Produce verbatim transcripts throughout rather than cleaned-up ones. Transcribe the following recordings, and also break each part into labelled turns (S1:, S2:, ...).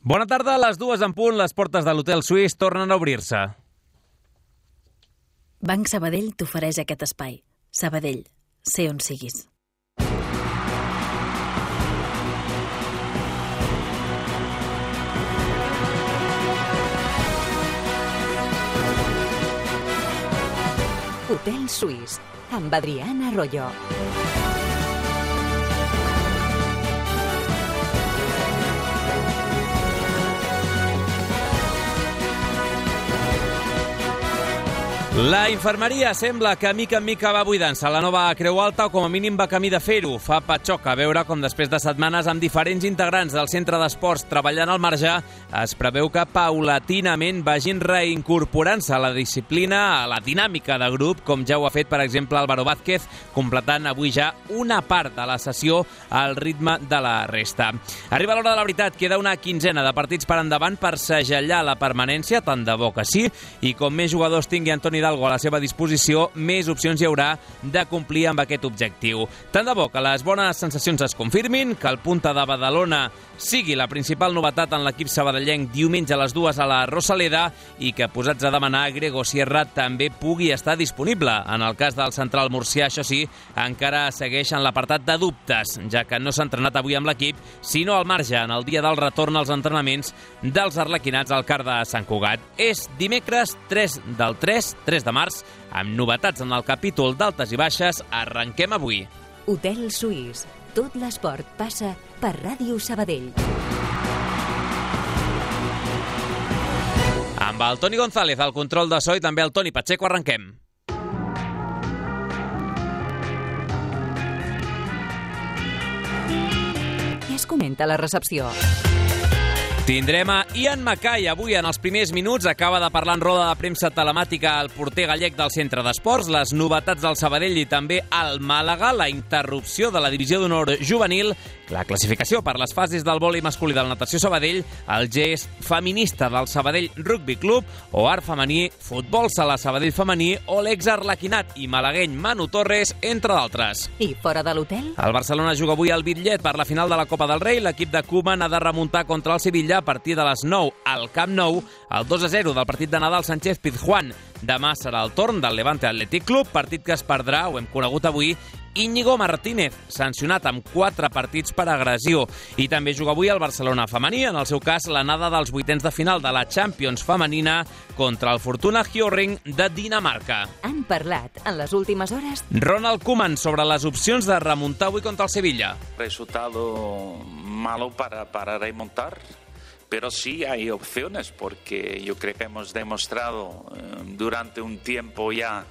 S1: Bona tarda, a les dues en punt, les portes de l'Hotel Suís tornen a obrir-se.
S2: Banc Sabadell t'ofereix aquest espai. Sabadell, sé on siguis.
S3: Hotel Suís, amb Adriana Arroyo.
S1: La infermeria sembla que mica en mica va buidant-se la nova Creu Alta, o com a mínim va camí de fer-ho. Fa patxoca veure com després de setmanes amb diferents integrants del centre d'esports treballant al marge, es preveu que paulatinament vagin reincorporant-se a la disciplina, a la dinàmica de grup, com ja ho ha fet, per exemple, Álvaro Vázquez, completant avui ja una part de la sessió al ritme de la resta. Arriba l'hora de la veritat, queda una quinzena de partits per endavant per segellar la permanència, tant de bo que sí, i com més jugadors tingui Antoni Hidalgo a la seva disposició, més opcions hi haurà de complir amb aquest objectiu. Tant de bo que les bones sensacions es confirmin, que el Punta de Badalona sigui la principal novetat en l'equip sabadellenc diumenge a les dues a la Rosaleda i que, posats a demanar, Grego Sierra també pugui estar disponible. En el cas del central murcià, això sí, encara segueix en l'apartat de dubtes, ja que no s'ha entrenat avui amb l'equip, sinó al marge en el dia del retorn als entrenaments dels arlequinats al Car de Sant Cugat. És dimecres tres del tres, tres de març, amb novetats en el capítol d'altes i baixes. Arrenquem avui.
S3: Hotel Suís. Tot l'esport passa per Ràdio Sabadell.
S1: Amb el Toni González al control de so i també el Toni Pacheco, arrenquem.
S3: Què es comenta a la recepció?
S1: Tindrem a Ian Mackay avui en els primers minuts. Acaba de parlar en roda de premsa telemàtica el porter gallec del centre d'esports, les novetats del Sabadell i també al Màlaga, la interrupció de la divisió d'honor juvenil, la classificació per les fases del vòlei masculí del Natació Sabadell, el gest feminista del Sabadell Rugby Club, o art femení, futbol sala Sabadell femení, o l'exarlequinat i malagueny Manu Torres, entre d'altres.
S3: I fora de l'hotel?
S1: El Barcelona juga avui al Bitllet per la final de la Copa del Rei. L'equip de Koeman ha de remuntar contra el Sevilla a partir de les nou al Camp Nou, el dos a zero del partit de Nadal Sánchez-Pizjuán. Demà serà el torn del Levante Athletic Club, partit que es perdrà, ho hem conegut avui, Íñigo Martínez, sancionat amb quatre partits per agressió. I també juga avui el Barcelona femení, en el seu cas l'anada dels vuitens de final de la Champions femenina contra el Fortuna Hjørring de Dinamarca.
S3: Han parlat en les últimes hores
S1: Ronald Koeman sobre les opcions de remuntar avui contra el Sevilla.
S4: Resultado malo para, para remontar. Pero sí hay opciones, porque yo creo que hemos demostrado eh, durante un tiempo ya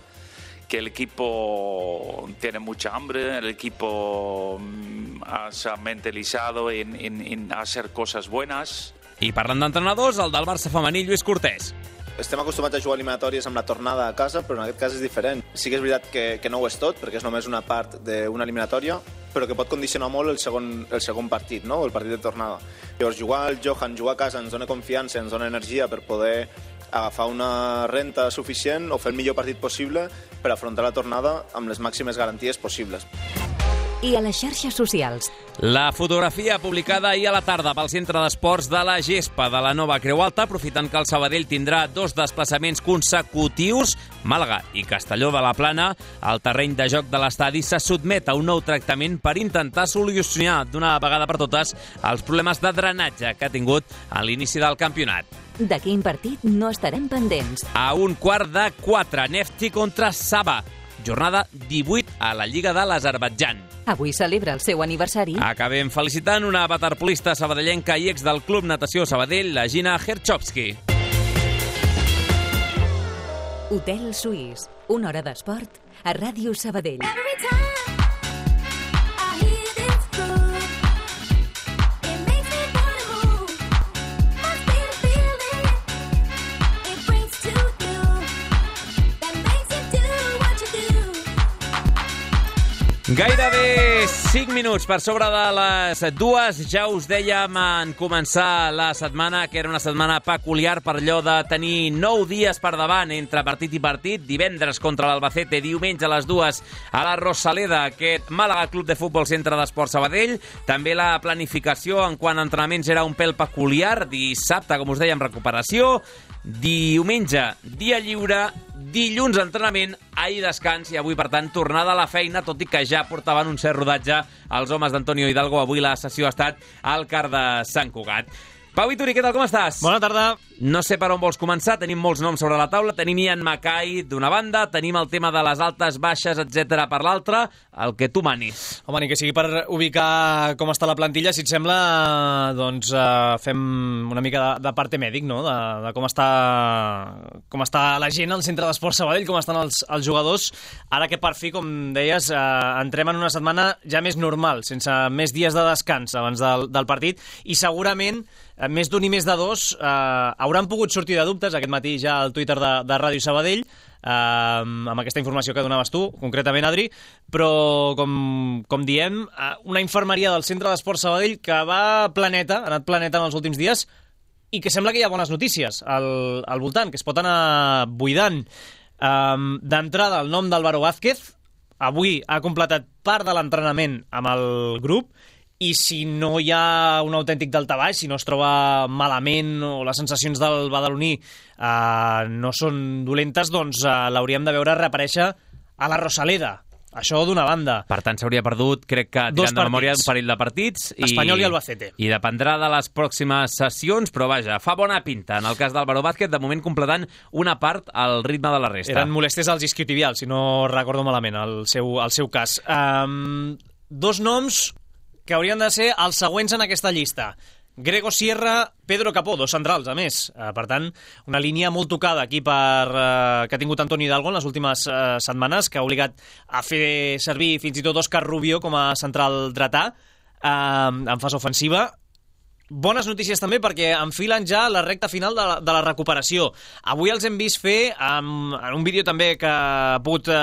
S4: que el equipo tiene mucha hambre, el equipo mm, se ha mentalizado en, en, en hacer cosas buenas.
S1: I parlant d'entrenadors, el del Barça femení, Lluís Cortés.
S5: Estem acostumats a jugar eliminatòries amb la tornada a casa, però en aquest cas és diferent. Sí que és veritat que, que no ho és tot, perquè és només una part d'una eliminatòria, però que pot condicionar molt el segon, el segon partit, no? El partit de tornada. Llavors, jugar al Johan, jugar a casa, ens dona confiança, ens dona energia per poder agafar una renta suficient o fer el millor partit possible per afrontar la tornada amb les màximes garanties possibles.
S3: I a les xarxes socials.
S1: La fotografia publicada ahir a la tarda pel Centre d'Esports de la Gespa de la nova Creu Alta, aprofitant que el Sabadell tindrà dos desplaçaments consecutius, Màlaga i Castelló de la Plana, el terreny de joc de l'estadi se sotmet a un nou tractament per intentar solucionar d'una vegada per totes els problemes de drenatge que ha tingut a l'inici del campionat.
S3: De quin partit no estarem pendents?
S1: A un quart de quatre, Nefti contra Saba. Jornada divuit a la Lliga de l'Azerbaidjan.
S3: Avui celebra el seu aniversari.
S1: Acabem felicitant una waterpolista sabadellenca i ex del Club Natació Sabadell, la Gina Herchovski.
S3: Hotel Suís, una hora d'esport a Ràdio Sabadell.
S1: Gairebé cinc minuts per sobre de les dues. Ja us dèiem en començar la setmana que era una setmana peculiar per allò de tenir nou dies per davant entre partit i partit. Divendres contra l'Albacete, diumenge a les dues a la Rosaleda, aquest Màlaga Club de Futbol Centre d'Esport Sabadell. També la planificació en quant a entrenaments era un pèl peculiar. Dissabte, com us dèiem, recuperació. Diumenge, dia lliure. Dilluns, entrenament. Ahir descans i avui, per tant, tornada a la feina, tot i que ja portaven un cert rodatge els homes d'Antonio Hidalgo. Avui la sessió ha estat al Car de Sant Cugat. Pau Vituri, què tal, com estàs?
S6: Bona tarda.
S1: No sé per on vols començar, tenim molts noms sobre la taula. Tenim Ian Mackay d'una banda, tenim el tema de les altes, baixes, etcètera per l'altra, el que tu manis.
S6: Home, ni que sigui per ubicar com està la plantilla, si et sembla, doncs uh, fem una mica de, de parte mèdic, no?, de, de com està com està la gent al centre d'Esport Sabadell, com estan els, els jugadors, ara que per fi, com deies, uh, entrem en una setmana ja més normal, sense més dies de descans abans del, del partit, i segurament més d'un i més de dos eh, hauran pogut sortir de dubtes aquest matí ja al Twitter de, de Ràdio Sabadell, eh, amb aquesta informació que donaves tu, concretament, Adri, però, com, com diem, eh, una infermeria del Centre d'Esport Sabadell que va planeta, ha anat planeta en els últims dies, i que sembla que hi ha bones notícies al, al voltant, que es pot anar buidant. Eh, D'entrada, el nom d'Álvaro Vázquez, avui ha completat part de l'entrenament amb el grup, i si no hi ha un autèntic daltabaix, si no es troba malament o les sensacions del badaloní eh, no són dolentes, doncs eh, l'hauríem de veure reaparèixer a la Rosaleda. Això d'una banda.
S1: Per tant, s'hauria perdut, crec que tirant de memòria, un parell de partits. I,
S6: Espanyol i Albacete.
S1: I dependrà de les pròximes sessions, però vaja, fa bona pinta. En el cas d'Álvaro Vázquez, de moment completant una part al ritme de la resta.
S6: Eren molèsties als isquiotibials, si no recordo malament, el seu, el seu cas. Um, dos noms que haurien de ser els següents en aquesta llista. Grego Sierra, Pedro Capó, dos centrals, a més. Uh, per tant, una línia molt tocada aquí per, uh, que ha tingut Antonio Hidalgo en les últimes uh, setmanes, que ha obligat a fer servir fins i tot Òscar Rubio com a central dretà uh, en fase ofensiva. Bones notícies també perquè enfilen ja la recta final de la, de la recuperació. Avui els hem vist fer, amb, en un vídeo també que ha pogut eh,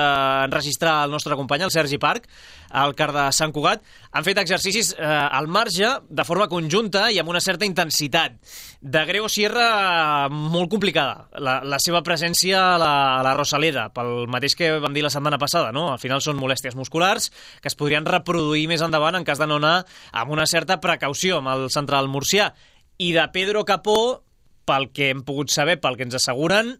S6: enregistrar el nostre company, el Sergi Parc, al Car de Sant Cugat, han fet exercicis eh, al marge, de forma conjunta i amb una certa intensitat. De Grego Sierra, molt complicada, la, la seva presència a la, a la Rosaleda, pel mateix que vam dir la setmana passada, no? Al final són molèsties musculars que es podrien reproduir més endavant en cas de no anar amb una certa precaució amb el central murcià. I de Pedro Capó, pel que hem pogut saber, pel que ens asseguren,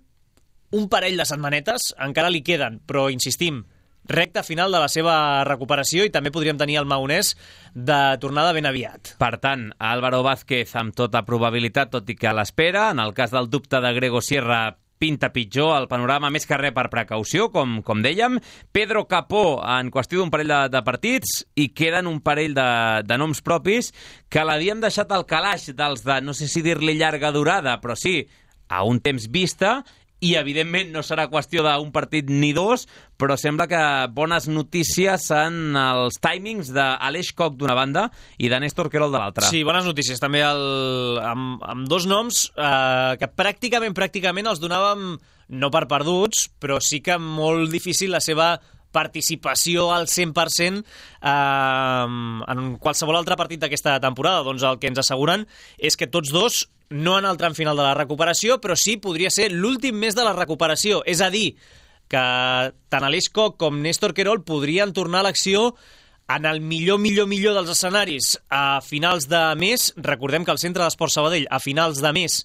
S6: un parell de setmanetes encara li queden, però insistim, recta final de la seva recuperació i també podríem tenir el maonès de tornada ben aviat.
S1: Per tant, Álvaro Vázquez amb tota probabilitat, tot i que a l'espera. En el cas del dubte de Grego Sierra, pinta pitjor el panorama, més que res per precaució, com, com dèiem. Pedro Capó, en qüestió d'un parell de, de partits, i queden un parell de, de noms propis que l'havíem deixat al calaix dels de, no sé si dir-li llarga durada, però sí, a un temps vista, i evidentment no serà qüestió d'un partit ni dos, però sembla que bones notícies en els timings d'Aleix Koch d'una banda i de Néstor Querol de l'altra.
S6: Sí, bones notícies també el, amb, amb dos noms eh, que pràcticament, pràcticament els donàvem no per perduts, però sí que molt difícil la seva participació al cent per cent eh, en qualsevol altre partit d'aquesta temporada. Doncs el que ens asseguren és que tots dos no en el tram final de la recuperació, però sí podria ser l'últim mes de la recuperació. És a dir, que tant Aleix Koch com Néstor Querol podrien tornar a l'acció en el millor, millor, millor dels escenaris a finals de mes. Recordem que el Centre d'Esport Sabadell a finals de mes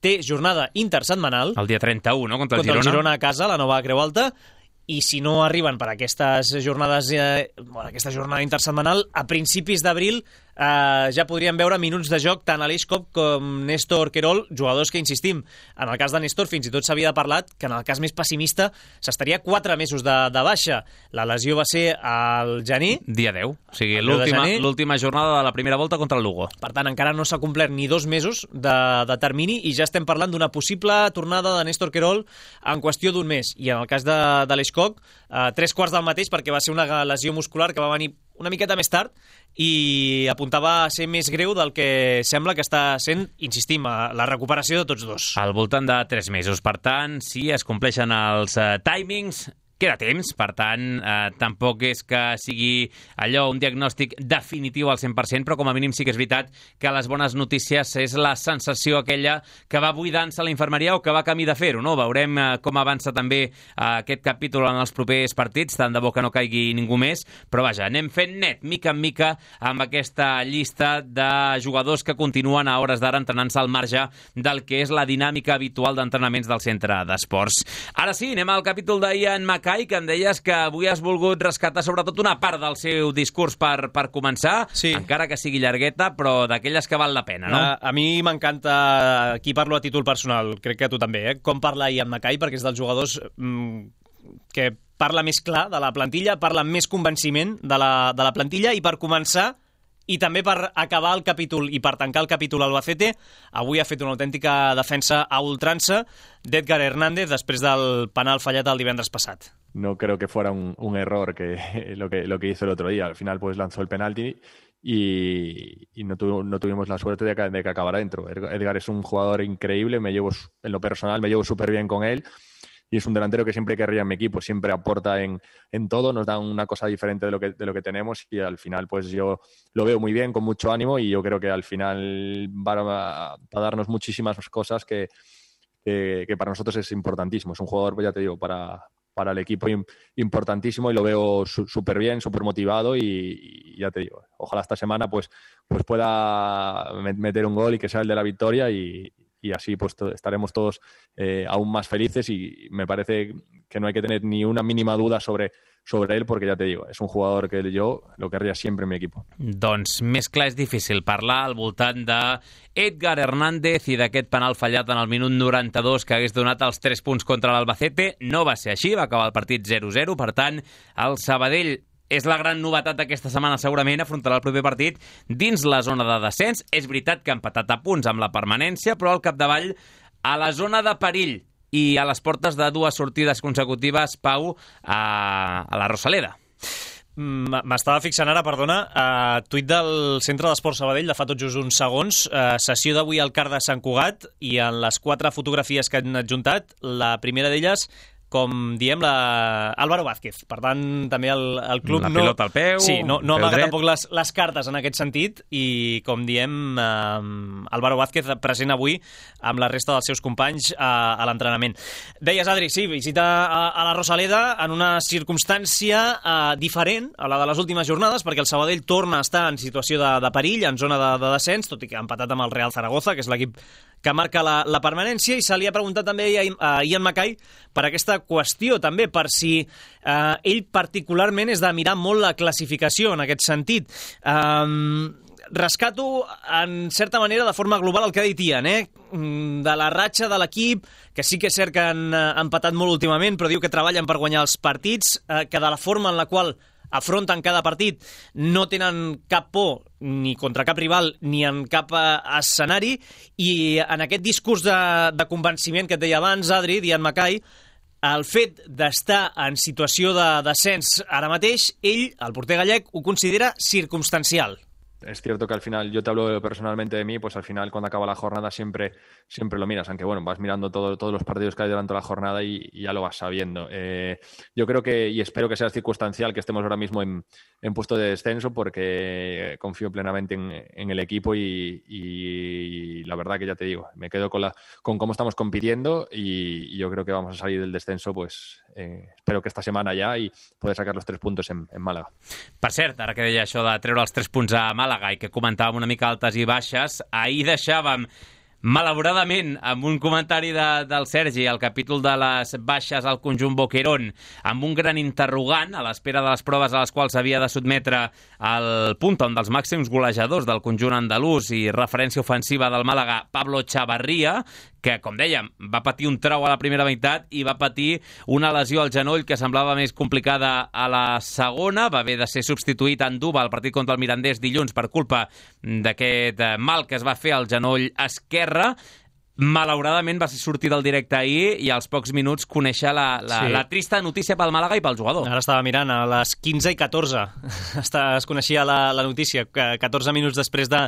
S6: té jornada intersetmanal.
S1: El dia trenta-u, no?, contra el
S6: contra
S1: Girona.
S6: el Girona a casa, la nova Creu Alta. I si no arriben per aquestes jornades, eh, bueno, aquesta jornada intersetmanal, a principis d'abril eh, ja podríem veure minuts de joc tant Aleix Koch com Néstor Querol, jugadors que, insistim, en el cas de Néstor fins i tot s'havia parlat que en el cas més pessimista s'estaria quatre mesos de, de baixa. La lesió va ser al gener.
S1: Dia deu, o sigui, l'última jornada de la primera volta contra el Lugo.
S6: Per tant, encara no s'ha complert ni dos mesos de, de termini i ja estem parlant d'una possible tornada de Néstor Querol en qüestió d'un mes. I en el cas d'Aleix Koch, eh, tres quarts del mateix, perquè va ser una lesió muscular que va venir una miqueta més tard i apuntava a ser més greu del que sembla que està sent, insistim, la recuperació de tots dos.
S1: Al voltant de tres mesos. Per tant, si es compleixen els uh, timings, queda temps, per tant, eh, tampoc és que sigui allò un diagnòstic definitiu al cent per cent, però com a mínim sí que és veritat que les bones notícies és la sensació aquella que va buidant-se a la infermeria o que va camí de fer-ho, no? Veurem eh, com avança també eh, aquest capítol en els propers partits, tant de bo que no caigui ningú més, però vaja, anem fent net, mica en mica, amb aquesta llista de jugadors que continuen a hores d'ara entrenant-se al marge del que és la dinàmica habitual d'entrenaments del centre d'esports. Ara sí, anem al capítol d'Ian Mackay, que em deies que avui has volgut rescatar sobretot una part del seu discurs per, per començar,
S6: sí.
S1: Encara que sigui llargueta, però d'aquelles que val la pena, no?
S6: A, a mi m'encanta, aquí parlo a títol personal, crec que tu també, eh? Com parla Ian Mackay, perquè és dels jugadors mmm, que parla més clar de la plantilla, parla amb més convenciment de la, de la plantilla, i per començar, i també per acabar el capítol i per tancar el capítol Albacete, avui ha fet una autèntica defensa a ultrança d'Edgar Hernández després del penal fallat el divendres passat.
S7: No creo que fuera un, un error que lo, que lo que hizo el otro día. Al final pues lanzó el penalti y, y no, tu, no tuvimos la suerte de que, de que acabara dentro. Edgar es un jugador increíble, me llevo en lo personal me llevo súper bien con él. Y es un delantero que siempre querría en mi equipo, siempre aporta en, en todo, nos da una cosa diferente de lo que de lo que tenemos, y al final pues yo lo veo muy bien, con mucho ánimo, y yo creo que al final va a, a darnos muchísimas cosas que, que, que para nosotros es importantísimo. Es un jugador, pues ya te digo, para, para el equipo importantísimo, y lo veo súper bien, súper motivado, y, y ya te digo, ojalá esta semana pues, pues pueda meter un gol y que sea el de la victoria, y y así pues to- estaremos todos eh, aún más felices, y me parece que no hay que tener ni una mínima duda sobre, sobre él, porque ya te digo, es un jugador que yo lo querría siempre en mi equipo.
S1: Doncs més clar és difícil parlar al voltant de Edgar Hernández i d'aquest penal fallat en el minut noranta-dos que hagués donat els tres punts contra l'Albacete. No va ser així, va acabar el partit zero zero, per tant, el Sabadell és la gran novetat d'aquesta setmana, segurament afrontarà el proper partit dins la zona de descens. És veritat que ha empatat a punts amb la permanència, però al capdavall a la zona de perill i a les portes de dues sortides consecutives, Pau, a, a la Rosaleda.
S6: M'estava fixant ara, perdona, a tuit del Centre d'Esports Sabadell de fa tot just uns segons, eh, sessió d'avui al Car de Sant Cugat, i en les quatre fotografies que han adjuntat, la primera d'elles, com diem, la... Álvaro Vázquez. Per tant, també el, el club
S1: la
S6: no...
S1: pilota al peu,
S6: sí, no, no
S1: peu
S6: amaga
S1: dret.
S6: tampoc les, les cartes en aquest sentit, i, com diem, eh, Álvaro Vázquez present avui amb la resta dels seus companys a, a l'entrenament. Deies, Adri, sí, visita a, a la Rosaleda en una circumstància eh, diferent a la de les últimes jornades, perquè el Sabadell torna a estar en situació de, de perill, en zona de, de descens, tot i que ha empatat amb el Real Zaragoza, que és l'equip que marca la, la permanència, i se li ha preguntat també a, a Ian Mackay per aquesta qüestió, també per si eh, ell particularment és de mirar molt la classificació en aquest sentit. Um, rescato, en certa manera, de forma global el que ha dit Ian, eh? De la ratxa de l'equip, que sí que és cert que han eh, empatat molt últimament, però diu que treballen per guanyar els partits, eh, que de la forma en la qual afronten cada partit no tenen cap por ni contra cap rival ni en cap eh, escenari, i en aquest discurs de, de convenciment que et deia abans, Adri, Ian Mackay, el fet d'estar en situació de descens ara mateix, ell, el porter gallec, ho considera circumstancial.
S7: Es cierto que al final, yo te hablo personalmente de mí, pues al final cuando acaba la jornada siempre, siempre lo miras, aunque bueno, vas mirando todo, todos los partidos que hay durante la jornada y, y ya lo vas sabiendo. Eh, yo creo que, y espero que sea circunstancial, que estemos ahora mismo en, en puesto de descenso, porque confío plenamente en, en el equipo, y, y la verdad que ya te digo, me quedo con, la, con cómo estamos compitiendo, y, y yo creo que vamos a salir del descenso, pues eh, espero que esta semana ya, y poder sacar los tres puntos en, en Málaga.
S1: Per cert, ara que deia això de treure els tres punts a Málaga i que comentàvem una mica altes i baixes, ahir deixàvem, malauradament, amb un comentari de, del Sergi, el capítol de les baixes al conjunt Boquerón, amb un gran interrogant a l'espera de les proves a les quals s'havia de sotmetre el punta, un dels màxims golejadors del conjunt andalús i referència ofensiva del Màlaga, Pablo Chavarría, que, com dèiem, va patir un trau a la primera meitat i va patir una lesió al genoll que semblava més complicada a la segona. Va haver de ser substituït en Duba al partit contra el Mirandés dilluns per culpa d'aquest mal que es va fer al genoll esquerre. Malauradament va ser sortir del directe ahir i als pocs minuts conèixer la, la, sí. la trista notícia pel Màlaga i pel jugador.
S6: Ara estava mirant, a les quinze i catorze es coneixia la, la notícia, catorze minuts després de,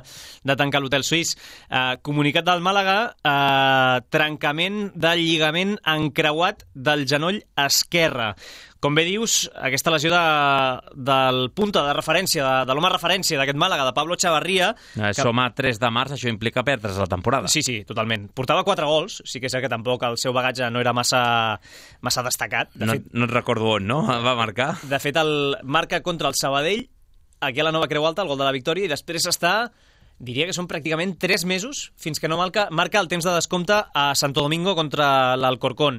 S6: de tancar l'hotel suís. Eh, comunicat del Màlaga, eh, trencament del lligament encreuat del genoll esquerre. Com bé dius, aquesta lesió de, del punta de referència, de, de l'home referència d'aquest Màlaga, de Pablo Chavarria...
S1: Eh, que... Som a tres de març, això implica perdre's la temporada.
S6: Sí, sí, totalment. Portava quatre gols, sí que és que tampoc el seu bagatge no era massa, massa destacat. De
S1: no,
S6: fet,
S1: no et recordo on, no? Va marcar.
S6: De fet, el marca contra el Sabadell, aquí a la Nova Creu Alta, el gol de la victòria, i després està... Diria que són pràcticament tres mesos fins que no marca, marca el temps de descompte a Santo Domingo contra l'Alcorcón.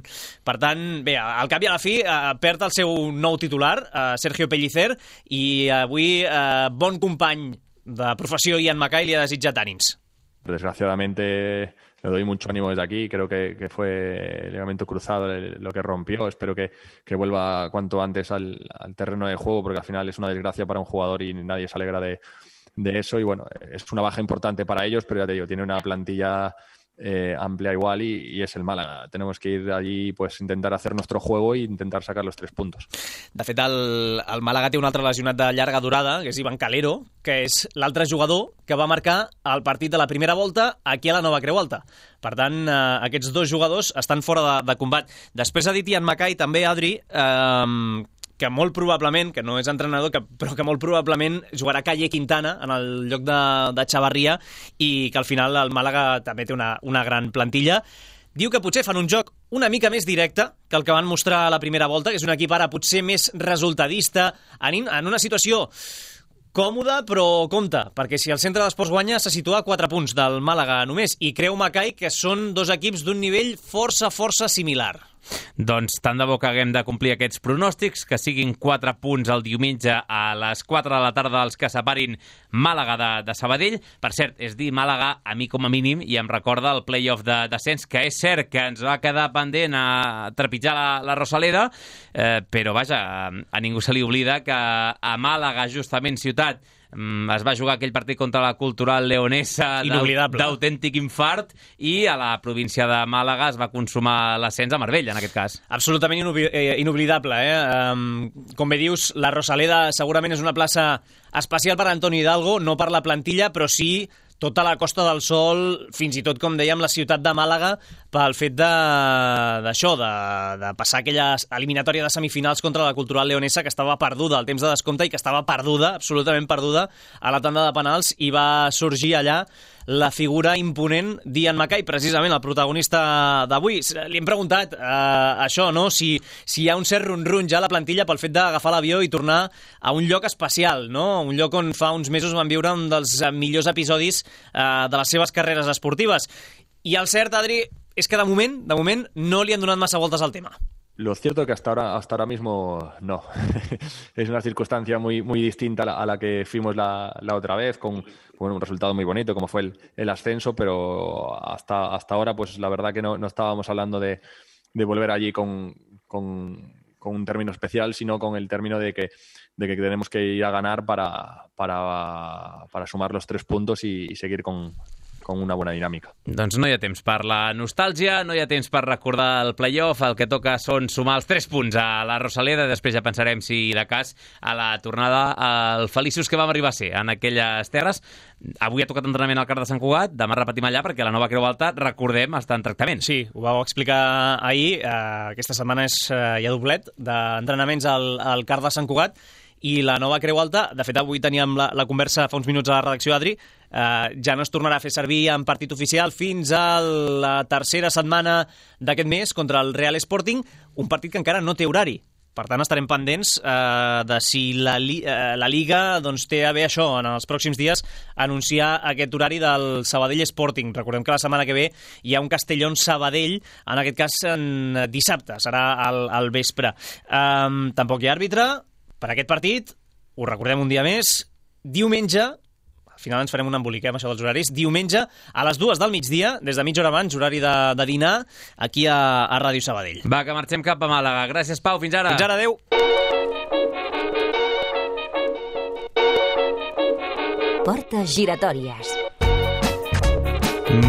S6: Per tant, bé, al cap i a la fi eh, perd el seu nou titular, eh, Sergio Pellicer, i avui eh, bon company de professió Ian Mackay li ha desitjat ànims.
S7: Desgraciadamente le doy mucho ánimo desde aquí, creo que, que fue el ligamento cruzado lo que rompió, espero que, que vuelva cuanto antes al, al terreno de juego, porque al final es una desgracia para un jugador y nadie se alegra de de eso, y bueno, es una baja importante para ellos, pero ya te digo, tiene una plantilla eh, amplia igual y, y es el Málaga. Tenemos que ir allí, pues intentar hacer nuestro juego e intentar sacar los tres puntos.
S6: De fet, el, el Málaga té un altre lesionat de llarga durada, que és Ivan Calero, que és l'altre jugador que va marcar el partit de la primera volta aquí a la Nova Creu Alta. Per tant, eh, aquests dos jugadors estan fora de, de combat. Després ha dit Ian Mackay, també, Adri, eh, que molt probablement, que no és entrenador, que, però que molt probablement jugarà Calle Quintana en el lloc de, de Chavarria, i que al final el Màlaga també té una, una gran plantilla. Diu que potser fan un joc una mica més directe que el que van mostrar a la primera volta, que és un equip ara potser més resultadista, en, en una situació còmoda, però compte, perquè si el Centre d'Esports guanya se situa a quatre punts del Màlaga només, i creu Mackay que són dos equips d'un nivell força, força similar.
S1: Doncs tant de bo que haguem de complir aquests pronòstics, que siguin quatre punts el diumenge a les quatre de la tarda els que separin Màlaga de, de Sabadell. Per cert, és dir Màlaga a mi com a mínim i em recorda el play-off de descens, que és cert que ens va quedar pendent a trepitjar la, la Rosaleda, eh, però vaja, a ningú se li oblida que a Màlaga, justament ciutat, es va jugar aquell partit contra la Cultural Leonesa d'autèntic infart, i a la província de Màlaga es va consumar l'ascens a Marbella, en aquest cas.
S6: Absolutament inoblidable, eh? Um, com bé dius, la Rosaleda segurament és una plaça especial per Antoni Hidalgo, no per la plantilla, però sí tota la Costa del Sol, fins i tot, com dèiem, la ciutat de Màlaga, pel fet d'això, de, de, de passar aquella eliminatòria de semifinals contra la Cultural Leonesa, que estava perduda al temps de descompte i que estava perduda, absolutament perduda, a la tanda de penals, i va sorgir allà la figura imponent d'Ian Mackay, precisament el protagonista d'avui. Li hem preguntat eh, això, no? Si, si hi ha un cert run-run ja a la plantilla pel fet d'agafar l'avió i tornar a un lloc especial, no? Un lloc on fa uns mesos van viure un dels millors episodis eh, de les seves carreres esportives. I el cert, Adri, és que de moment, de moment no li han donat massa voltes al tema.
S7: Lo cierto es que hasta ahora, hasta ahora mismo no. Es una circunstancia muy, muy distinta a la, a la que fuimos la, la otra vez, con bueno, un resultado muy bonito como fue el, el ascenso, pero hasta, hasta ahora pues la verdad que no, no estábamos hablando de, de volver allí con, con, con un término especial, sino con el término de que, de que tenemos que ir a ganar para, para, para sumar los tres puntos y, y seguir con... con una bona dinàmica.
S1: Doncs no hi ha temps per la nostàlgia, no hi ha temps per recordar el play-off, el que toca són sumar els tres punts a la Rosaleda, després ja pensarem si de cas a la tornada al feliços que vam arribar a ser en aquelles terres. Avui ha tocat entrenament al Car de Sant Cugat, demà repetim allà perquè la Nova Creu Alta, recordem, està en tractament.
S6: Sí, ho vau explicar ahir, eh, aquesta setmana és, eh, hi ha doblet d'entrenaments al, al Car de Sant Cugat, i la Nova Creu Alta, de fet avui teníem la, la conversa fa uns minuts a la redacció, Adri, eh, ja no es tornarà a fer servir en partit oficial fins a la tercera setmana d'aquest mes contra el Real Sporting, un partit que encara no té horari. Per tant, estarem pendents eh, de si la, eh, la Liga doncs, té a bé això, en els pròxims dies, anunciar aquest horari del Sabadell Sporting. Recordem que la setmana que ve hi ha un Castellón-Sabadell, en aquest cas en dissabte, serà al, al vespre. Eh, tampoc hi ha àrbitre per aquest partit, ho recordem un dia més, diumenge, al final ens farem un embolic amb això dels horaris, diumenge a les dues del migdia, des de mitja hora abans, horari de, de dinar, aquí a, a Ràdio Sabadell.
S1: Va, que marxem cap a Màlaga. Gràcies, Pau, fins ara.
S6: Fins ara, adeu.
S3: Portes giratòries.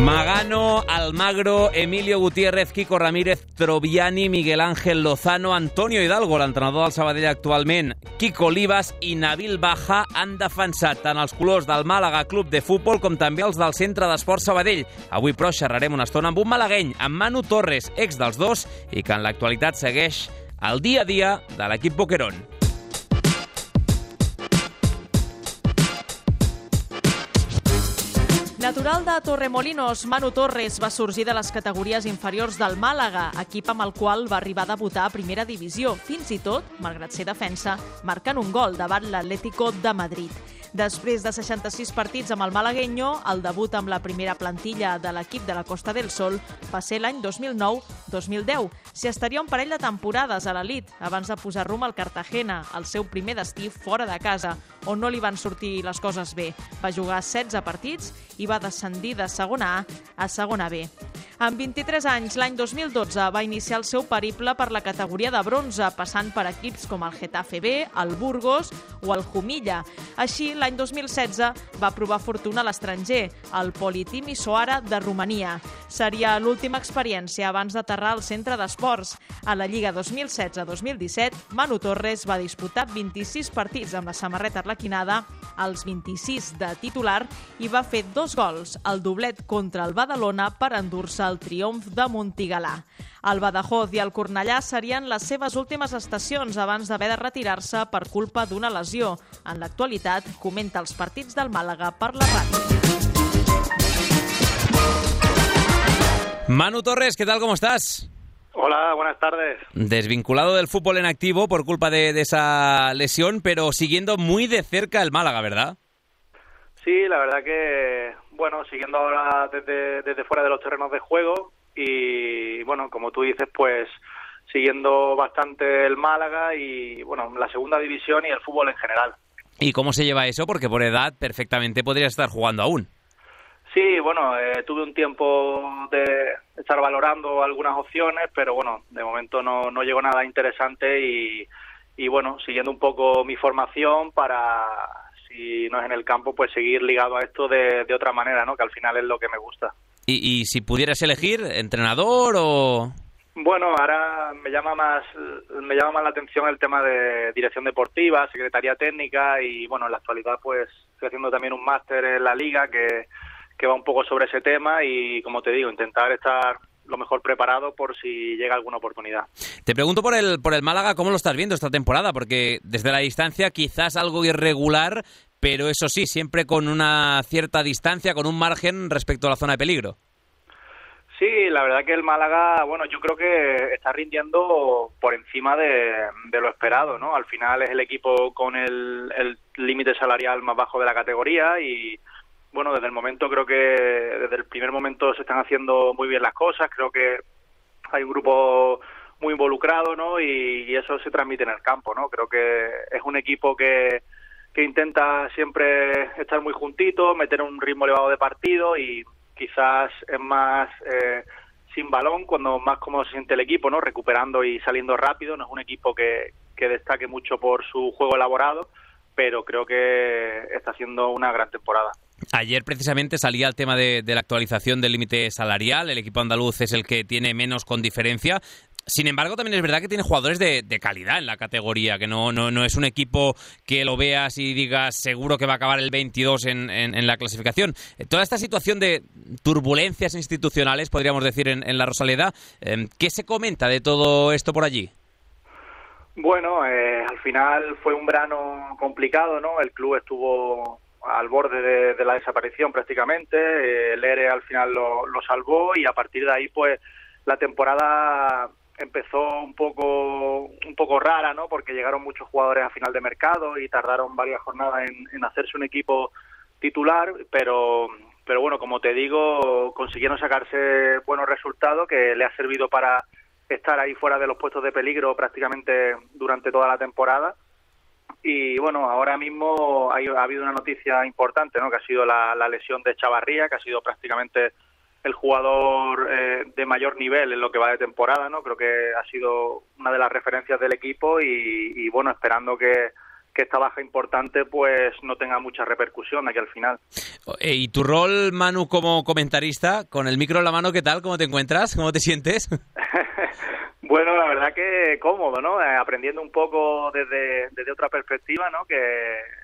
S1: Magano, Almagro, Emilio Gutiérrez, Kiko Ramírez, Troviani, Miguel Ángel Lozano, Antonio Hidalgo, l'entrenador del Sabadell actualment, Kiko Olivas i Nabil Baja han defensat tant els colors del Màlaga Club de Futbol com també els del Centre d'Esports Sabadell. Avui, però, xerrarem una estona amb un malagueny, amb Manu Torres, ex dels dos, i que en l'actualitat segueix el dia a dia de l'equip Boquerón.
S8: Natural de Torremolinos, Manu Torres va sorgir de les categories inferiors del Màlaga, equip amb el qual va arribar a debutar a primera divisió, fins i tot, malgrat ser defensa, marcant un gol davant l'Atlético de Madrid. Després de seixanta-sis partits amb el malagueño, el debut amb la primera plantilla de l'equip de la Costa del Sol va ser l'any dos mil nou dos mil deu. S'hi estaria un parell de temporades a l'elit, abans de posar rumb al Cartagena, el seu primer destí fora de casa, on no li van sortir les coses bé. Va jugar setze partits i va descendir de segona A a segona B. Amb vint-i-tres anys, l'any dos mil dotze, va iniciar el seu periple per la categoria de bronze, passant per equips com el Getafe B, el Burgos o el Jumilla. Així, l'any dos mil setze, va provar fortuna a l'estranger, al Politimi Soara de Romania. Seria l'última experiència abans d'aterrar al centre d'esports. A la Lliga dos mil setze dos mil disset, Manu Torres va disputar vint-i-sis partits amb la samarreta arlequinada, els vint-i-sis de titular, i va fer dos gols, el doblet contra el Badalona per endur-se el triomf de Montigalà. El Badajoz i el Cornellà serien les seves últimes estacions abans d'haver de retirar-se per culpa d'una lesió. En l'actualitat, comenta els partits del Màlaga per la ràdio.
S1: Manu Torres, ¿qué tal? ¿Cómo estás?
S9: Hola, buenas tardes.
S1: Desvinculado del fútbol en activo por culpa de, de esa lesión, pero siguiendo muy de cerca el Málaga, ¿verdad?
S9: Sí, la verdad que, bueno, siguiendo ahora desde, desde fuera de los terrenos de juego y, bueno, como tú dices, pues siguiendo bastante el Málaga y, bueno, la segunda división y el fútbol en general.
S1: ¿Y cómo se lleva eso? Porque por edad perfectamente podrías estar jugando aún.
S9: Sí, bueno, eh, tuve un tiempo de estar valorando algunas opciones, pero bueno, de momento no, no llegó nada interesante y, y bueno, siguiendo un poco mi formación para, si no es en el campo, pues seguir ligado a esto de, de otra manera, ¿no? Que al final es lo que me gusta.
S1: ¿Y, y si pudieras elegir, entrenador o...?
S9: Bueno, ahora me llama más me llama más la atención el tema de dirección deportiva, secretaría técnica y bueno, en la actualidad pues estoy haciendo también un máster en la liga que que va un poco sobre ese tema y, como te digo, intentar estar lo mejor preparado por si llega alguna oportunidad.
S1: Te pregunto por el por el Málaga, ¿cómo lo estás viendo esta temporada? Porque desde la distancia quizás algo irregular, pero eso sí, siempre con una cierta distancia, con un margen respecto a la zona de peligro.
S9: Sí, la verdad que el Málaga, bueno, yo creo que está rindiendo por encima de, de lo esperado, ¿no? Al final es el equipo con el el límite salarial más bajo de la categoría y bueno, desde el momento creo que desde el primer momento se están haciendo muy bien las cosas, creo que hay un grupo muy involucrado, ¿no? Y, y eso se transmite en el campo, ¿no? Creo que es un equipo que, que intenta siempre estar muy juntito, meter un ritmo elevado de partido y quizás es más eh, sin balón cuando más cómodo se siente el equipo, ¿no? Recuperando y saliendo rápido, no es un equipo que, que destaque mucho por su juego elaborado, pero creo que está haciendo una gran temporada.
S1: Ayer precisamente salía el tema de, de la actualización del límite salarial. El equipo andaluz es el que tiene menos con diferencia. Sin embargo, también es verdad que tiene jugadores de, de calidad en la categoría, que no, no, no es un equipo que lo veas y digas seguro que va a acabar el veintidós en, en, en la clasificación. Toda esta situación de turbulencias institucionales, podríamos decir, en, en la Rosaleda, eh, ¿qué se comenta de todo esto por allí?
S9: Bueno, eh, al final fue un verano complicado, ¿no? El club estuvo al borde de, de la desaparición prácticamente, eh, el E R E al final lo, lo salvó y a partir de ahí pues la temporada empezó un poco un poco rara, ¿no? Porque llegaron muchos jugadores a final de mercado y tardaron varias jornadas en, en hacerse un equipo titular, pero pero bueno, como te digo, consiguieron sacarse buenos resultados que le ha servido para estar ahí fuera de los puestos de peligro prácticamente durante toda la temporada. Y bueno, ahora mismo hay, ha habido una noticia importante, ¿no? Que ha sido la, la lesión de Chavarría, que ha sido prácticamente el jugador eh, de mayor nivel en lo que va de temporada, ¿no? Creo que ha sido una de las referencias del equipo y, y bueno, esperando que, que esta baja importante pues no tenga mucha repercusión aquí al final.
S1: ¿Y tu rol, Manu, como comentarista, con el micro en la mano, qué tal? ¿Cómo te encuentras? ¿Cómo te sientes?
S9: Bueno, la verdad que cómodo, ¿no? Eh, aprendiendo un poco desde, desde otra perspectiva, ¿no? Que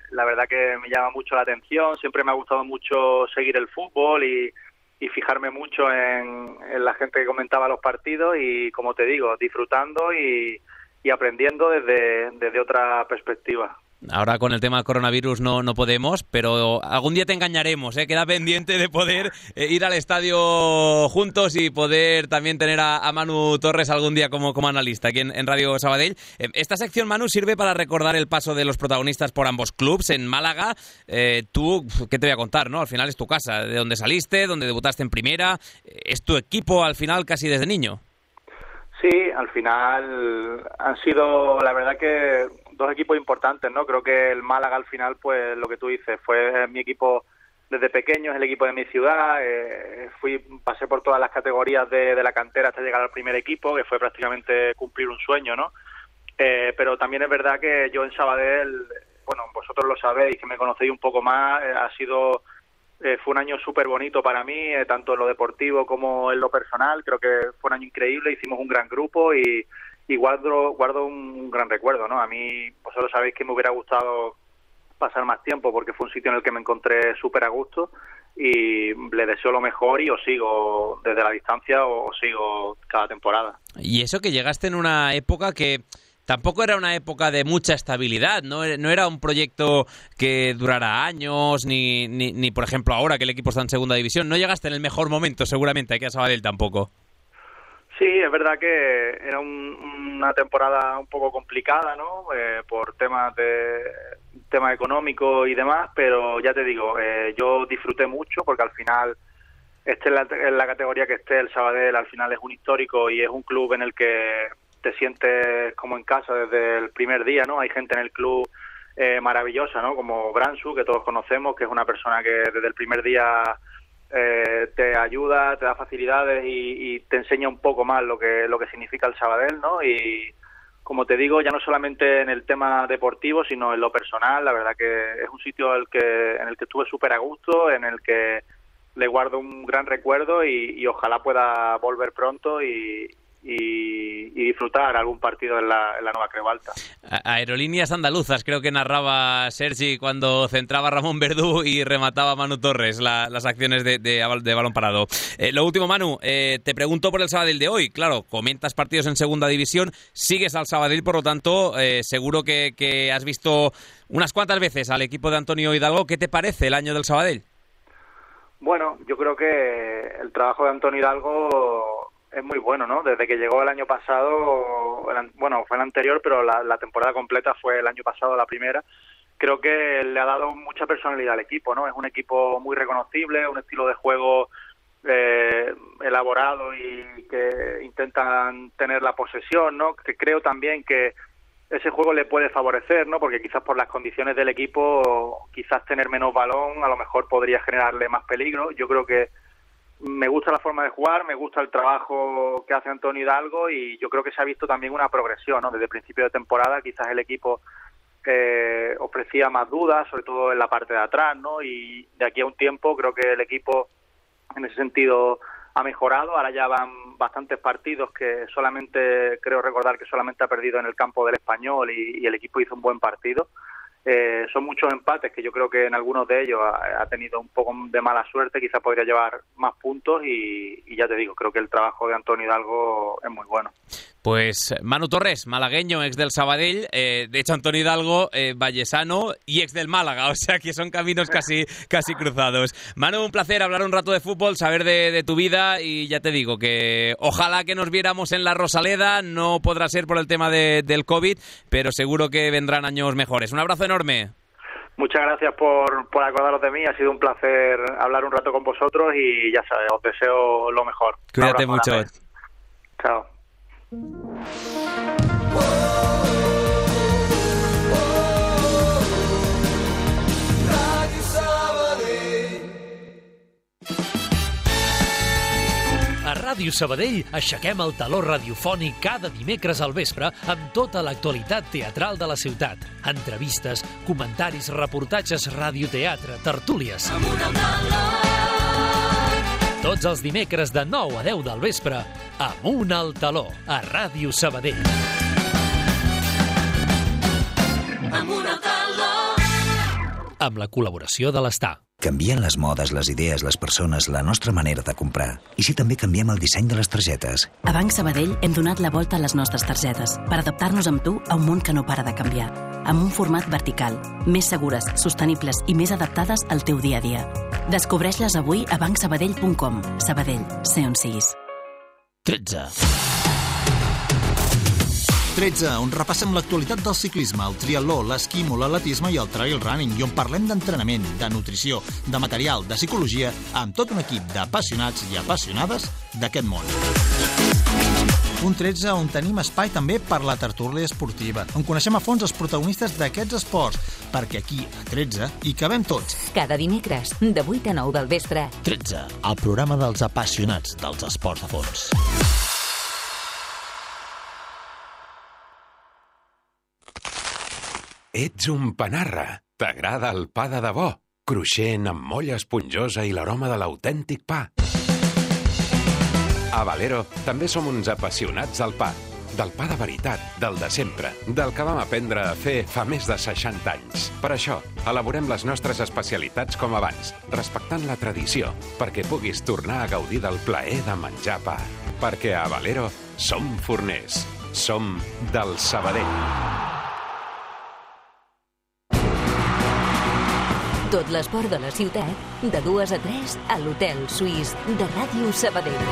S9: la verdad que me llama mucho la atención. Siempre me ha gustado mucho seguir el fútbol y, y fijarme mucho en, en la gente que comentaba los partidos y, como te digo, disfrutando y, y aprendiendo desde, desde otra perspectiva.
S1: Ahora con el tema del coronavirus no, no podemos, pero algún día te engañaremos, ¿eh? Queda pendiente de poder eh, ir al estadio juntos y poder también tener a, a Manu Torres algún día como, como analista aquí en, en Radio Sabadell. Eh, esta sección, Manu, sirve para recordar el paso de los protagonistas por ambos clubs. En Málaga, eh, tú, ¿qué te voy a contar, no? Al final es tu casa, de donde saliste, donde debutaste en primera, es tu equipo al final casi desde niño.
S9: Sí, al final han sido, la verdad que dos equipos importantes, ¿no? Creo que el Málaga al final, pues lo que tú dices, fue mi equipo desde pequeño, es el equipo de mi ciudad, eh, fui pasé por todas las categorías de, de la cantera hasta llegar al primer equipo, que fue prácticamente cumplir un sueño, ¿no? Eh, pero también es verdad que yo en Sabadell, bueno, vosotros lo sabéis, que me conocéis un poco más, eh, ha sido... Eh, fue un año súper bonito para mí, eh, tanto en lo deportivo como en lo personal. Creo que fue un año increíble, hicimos un gran grupo y, y guardo, guardo un gran recuerdo, ¿no? A mí, vosotros sabéis que me hubiera gustado pasar más tiempo porque fue un sitio en el que me encontré súper a gusto y le deseo lo mejor y os sigo desde la distancia o os sigo cada temporada.
S1: Y eso que llegaste en una época que... Tampoco era una época de mucha estabilidad, no, no era un proyecto que durara años, ni, ni, ni, por ejemplo, ahora que el equipo está en segunda división. No llegaste en el mejor momento, seguramente, aquí a Sabadell tampoco.
S9: Sí, es verdad que era un, una temporada un poco complicada, ¿no? Eh, por temas de temas económicos y demás, pero ya te digo, eh, yo disfruté mucho porque al final, este en la, en la categoría que esté, el Sabadell al final es un histórico y es un club en el que te sientes como en casa desde el primer día, ¿no? Hay gente en el club eh, maravillosa, ¿no? Como Bransu, que todos conocemos, que es una persona que desde el primer día eh, te ayuda, te da facilidades y, y te enseña un poco más lo que lo que significa el Sabadell, ¿no? Y como te digo, ya no solamente en el tema deportivo, sino en lo personal, la verdad que es un sitio el que, en el que estuve súper a gusto, en el que le guardo un gran recuerdo y, y ojalá pueda volver pronto y Y, y disfrutar algún partido en la, en la nueva Creu Alta.
S1: Aerolíneas andaluzas, creo que narraba Sergi cuando centraba Ramón Verdú y remataba Manu Torres la, las acciones de, de, de balón parado. Eh, lo último, Manu, eh, te pregunto por el Sabadell de hoy. Claro, comentas partidos en segunda división, sigues al Sabadell, por lo tanto, eh, seguro que, que has visto unas cuantas veces al equipo de Antonio Hidalgo. ¿Qué te parece el año del Sabadell?
S9: Bueno, yo creo que el trabajo de Antonio Hidalgo es muy bueno, ¿no? Desde que llegó el año pasado, el, bueno, fue el anterior, pero la, la temporada completa fue el año pasado, la primera. Creo que le ha dado mucha personalidad al equipo, ¿no? Es un equipo muy reconocible, un estilo de juego eh, elaborado y que intentan tener la posesión, ¿no? Que creo también que ese juego le puede favorecer, ¿no? Porque quizás por las condiciones del equipo, quizás tener menos balón a lo mejor podría generarle más peligro. Yo creo que me gusta la forma de jugar, me gusta el trabajo que hace Antonio Hidalgo y yo creo que se ha visto también una progresión, ¿no? Desde el principio de temporada quizás el equipo eh, ofrecía más dudas, sobre todo en la parte de atrás, ¿no? Y de aquí a un tiempo creo que el equipo en ese sentido ha mejorado. Ahora ya van bastantes partidos que solamente, creo recordar que solamente ha perdido en el campo del Español y, y el equipo hizo un buen partido. Eh, son muchos empates que yo creo que en algunos de ellos ha, ha tenido un poco de mala suerte, quizás podría llevar más puntos y, y ya te digo, creo que el trabajo de Antonio Hidalgo es muy bueno.
S1: Pues Manu Torres, malagueño, ex del Sabadell, eh, de hecho Antonio Hidalgo, eh, vallesano y ex del Málaga, o sea que son caminos casi, casi cruzados. Manu, un placer hablar un rato de fútbol, saber de, de tu vida y ya te digo que ojalá que nos viéramos en la Rosaleda, no podrá ser por el tema de, del COVID, pero seguro que vendrán años mejores. Un abrazo enorme.
S9: Muchas gracias por, por acordaros de mí, ha sido un placer hablar un rato con vosotros y ya sabes, os deseo lo mejor.
S1: Cuídate mucho.
S9: Grande. Chao.
S10: A Ràdio Sabadell aixequem el taló radiofònic cada dimecres al vespre amb tota l'actualitat teatral de la ciutat. Entrevistes, comentaris, reportatges, radioteatre, tertúlies. Tots els dimecres de nou a deu del vespre, Amunt al taló, a Ràdio Sabadell. Amunt al taló. Amb la col·laboració de l'Estar.
S11: Canvien les modes, les idees, les persones, la nostra manera de comprar. I si també canviem el disseny de les targetes?
S2: A Banc Sabadell hem donat la volta a les nostres targetes per adaptar-nos amb tu a un món que no para de canviar. Amb un format vertical, més segures, sostenibles i més adaptades al teu dia a dia. Descobreix-les avui a banc sabadell punt com. Sabadell, sé on siguis.
S12: tretze. tretze, on repassem l'actualitat del ciclisme, el triatló, l'esquimo, l'atletisme i el trail running, i on parlem d'entrenament, de nutrició, de material, de psicologia, amb tot un equip d'apassionats i apassionades d'aquest món. Un tretze on tenim espai també per la tertúlia esportiva, on coneixem a fons els protagonistes d'aquests esports, perquè aquí, a tretze, hi cabem tots.
S3: Cada dimecres, de vuit a nou del vespre.
S12: tretze, el programa dels apassionats dels esports a fons.
S13: Ets un panarra. T'agrada el pa de debò, cruixent amb molla esponjosa i l'aroma de l'autèntic pa. A Valero també som uns apassionats del pa. Del pa de veritat, del de sempre, del que vam aprendre a fer fa més de seixanta anys. Per això, elaborem les nostres especialitats com abans, respectant la tradició, perquè puguis tornar a gaudir del plaer de menjar pa. Perquè a Valero som forners. Som del Sabadell.
S3: Tot l'esport de la ciutat, de dues a tres, a l'Hotel Suís de Ràdio Sabadell.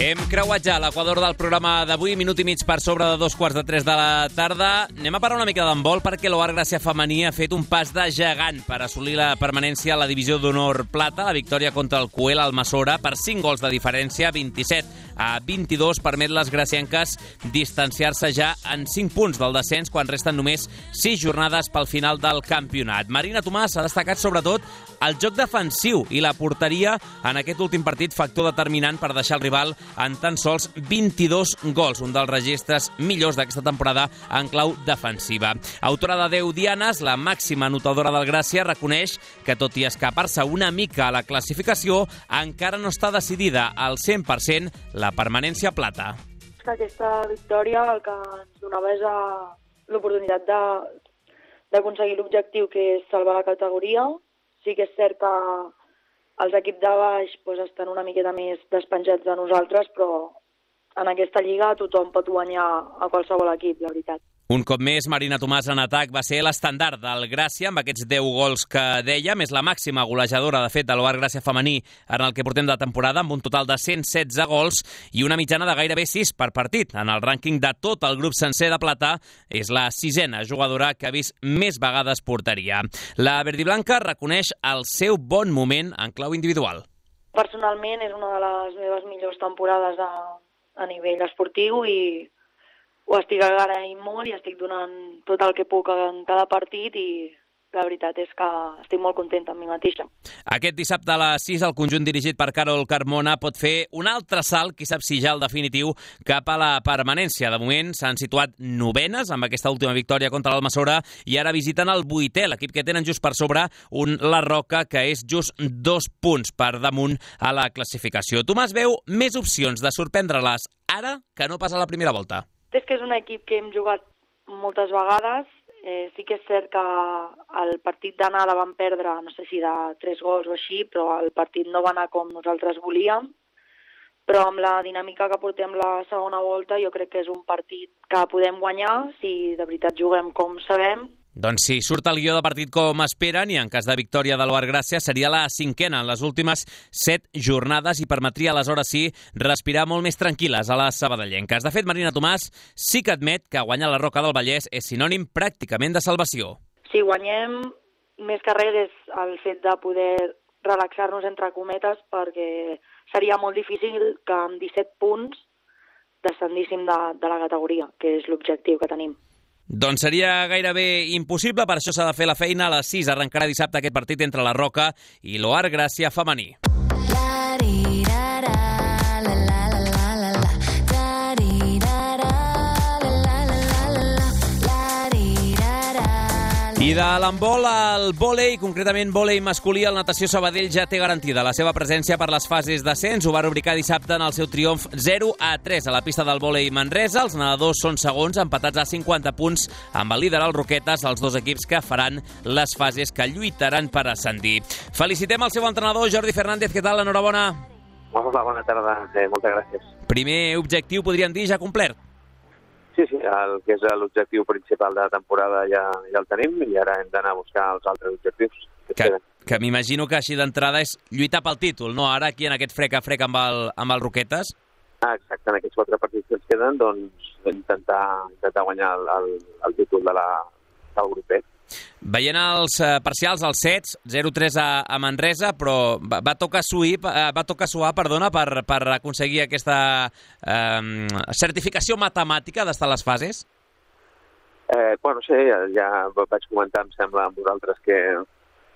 S1: Hem creuat ja l'equador del programa d'avui, minut i mig per sobre de dos quarts de tres de la tarda. Anem a parlar una mica d'handbol perquè l'O A R Gràcia femení ha fet un pas de gegant per assolir la permanència a la divisió d'honor plata. La victòria contra el Cuel Almassora per cinc gols de diferència, vint-i-set a vint-i-dos, permet les gracienques distanciar-se ja en cinc punts del descens quan resten només sis jornades pel final del campionat. Marina Tomàs ha destacat sobretot el joc defensiu i la porteria en aquest últim partit, factor determinant per deixar el rival en tan sols vint-i-dos gols, un dels registres millors d'aquesta temporada en clau defensiva. Autora de deu dianes, la màxima anotadora del Gràcia reconeix que, tot i escapar-se una mica a la classificació, encara no està decidida al cent per cent la permanència plata.
S14: Aquesta victòria el que ens donava és l'oportunitat d'aconseguir l'objectiu, que és salvar la categoria. Sí que és cert que els equips de baix pues, estan una miqueta més despenjats de nosaltres, però en aquesta lliga tothom pot guanyar a qualsevol equip, la veritat.
S1: Un cop més, Marina Tomàs en atac va ser l'estandard del Gràcia, amb aquests deu gols que deia, més la màxima golejadora, de fet, de l'O A R Gràcia femení en el que portem de temporada, amb un total de cent setze gols i una mitjana de gairebé sis per partit. En el rànquing de tot el grup sencer de plata, és la sisena jugadora que ha vist més vegades porteria. La verdiblanca reconeix el seu bon moment en clau individual.
S14: Personalment és una de les meves millors temporades a, a nivell esportiu i ho estic agraint molt i estic donant tot el que puc en cada partit i la veritat és que estic molt contenta amb mi mateixa.
S1: Aquest dissabte a les sis el conjunt dirigit per Carol Carmona pot fer un altre salt, qui sap si ja el definitiu, cap a la permanència. De moment s'han situat novenes amb aquesta última victòria contra l'Almassora i ara visiten el vuitè, l'equip que tenen just per sobre un La Roca, que és just dos punts per damunt a la classificació. Tomàs veu més opcions de sorprendre-les ara que no pas a la primera volta.
S14: És que és un equip que hem jugat moltes vegades. Eh, sí que és cert que el partit d'anada vam perdre, no sé si de tres gols o així, però el partit no va anar com nosaltres volíem. Però amb la dinàmica que portem la segona volta jo crec que és un partit que podem guanyar si de veritat juguem com sabem.
S1: Doncs si surt el guió de partit com esperen i en cas de victòria de l'O A R Gràcia seria la cinquena en les últimes set jornades i permetria aleshores sí respirar molt més tranquil·les a les sabadellenques. De fet, Marina Tomàs sí que admet que guanyar la Roca del Vallès és sinònim pràcticament de salvació.
S14: Si guanyem, més que res és el fet de poder relaxar-nos entre cometes, perquè seria molt difícil que amb disset punts descendíssim de, de la categoria, que és l'objectiu que tenim.
S1: Doncs seria gairebé impossible, per això s'ha de fer la feina. A les sis arrencarà dissabte aquest partit entre la Roca i l'O A R Gràcia femení. I I de l'handbol al vòlei, concretament vòlei masculí, el Natació Sabadell ja té garantida la seva presència per les fases d'ascens. Ho va rubricar dissabte en el seu triomf zero a tres a la pista del vòlei Manresa. Els nedadors són segons, empatats a cinquanta punts amb el líder el Roquetes, els dos equips que faran les fases que lluitaran per ascendir. Felicitem el seu entrenador, Jordi Fernández. Què tal? Enhorabona.
S15: Hola, bona tarda. Eh, moltes gràcies.
S1: Primer objectiu, podríem dir, ja complert.
S15: Sí, sí, el que és l'objectiu principal de la temporada ja, ja el tenim i ara hem d'anar a buscar els altres objectius. Que,
S1: que, que m'imagino que així d'entrada és lluitar pel títol, no? Ara aquí en aquest frec a frec amb el, amb el Roquetes.
S15: Ah, exacte, en aquests quatre partits que ens queden, doncs intentar, intentar guanyar el, el, el títol de la, del grupet.
S1: Veient els uh, parcials, els sets, zero tres a, a Manresa, però va, va tocar suir, uh, va tocar suar, perdona, per, per aconseguir aquesta um, certificació matemàtica d'estar a les fases?
S15: Eh, bueno, sí, ja, ja vaig comentar, em sembla, amb vosaltres que,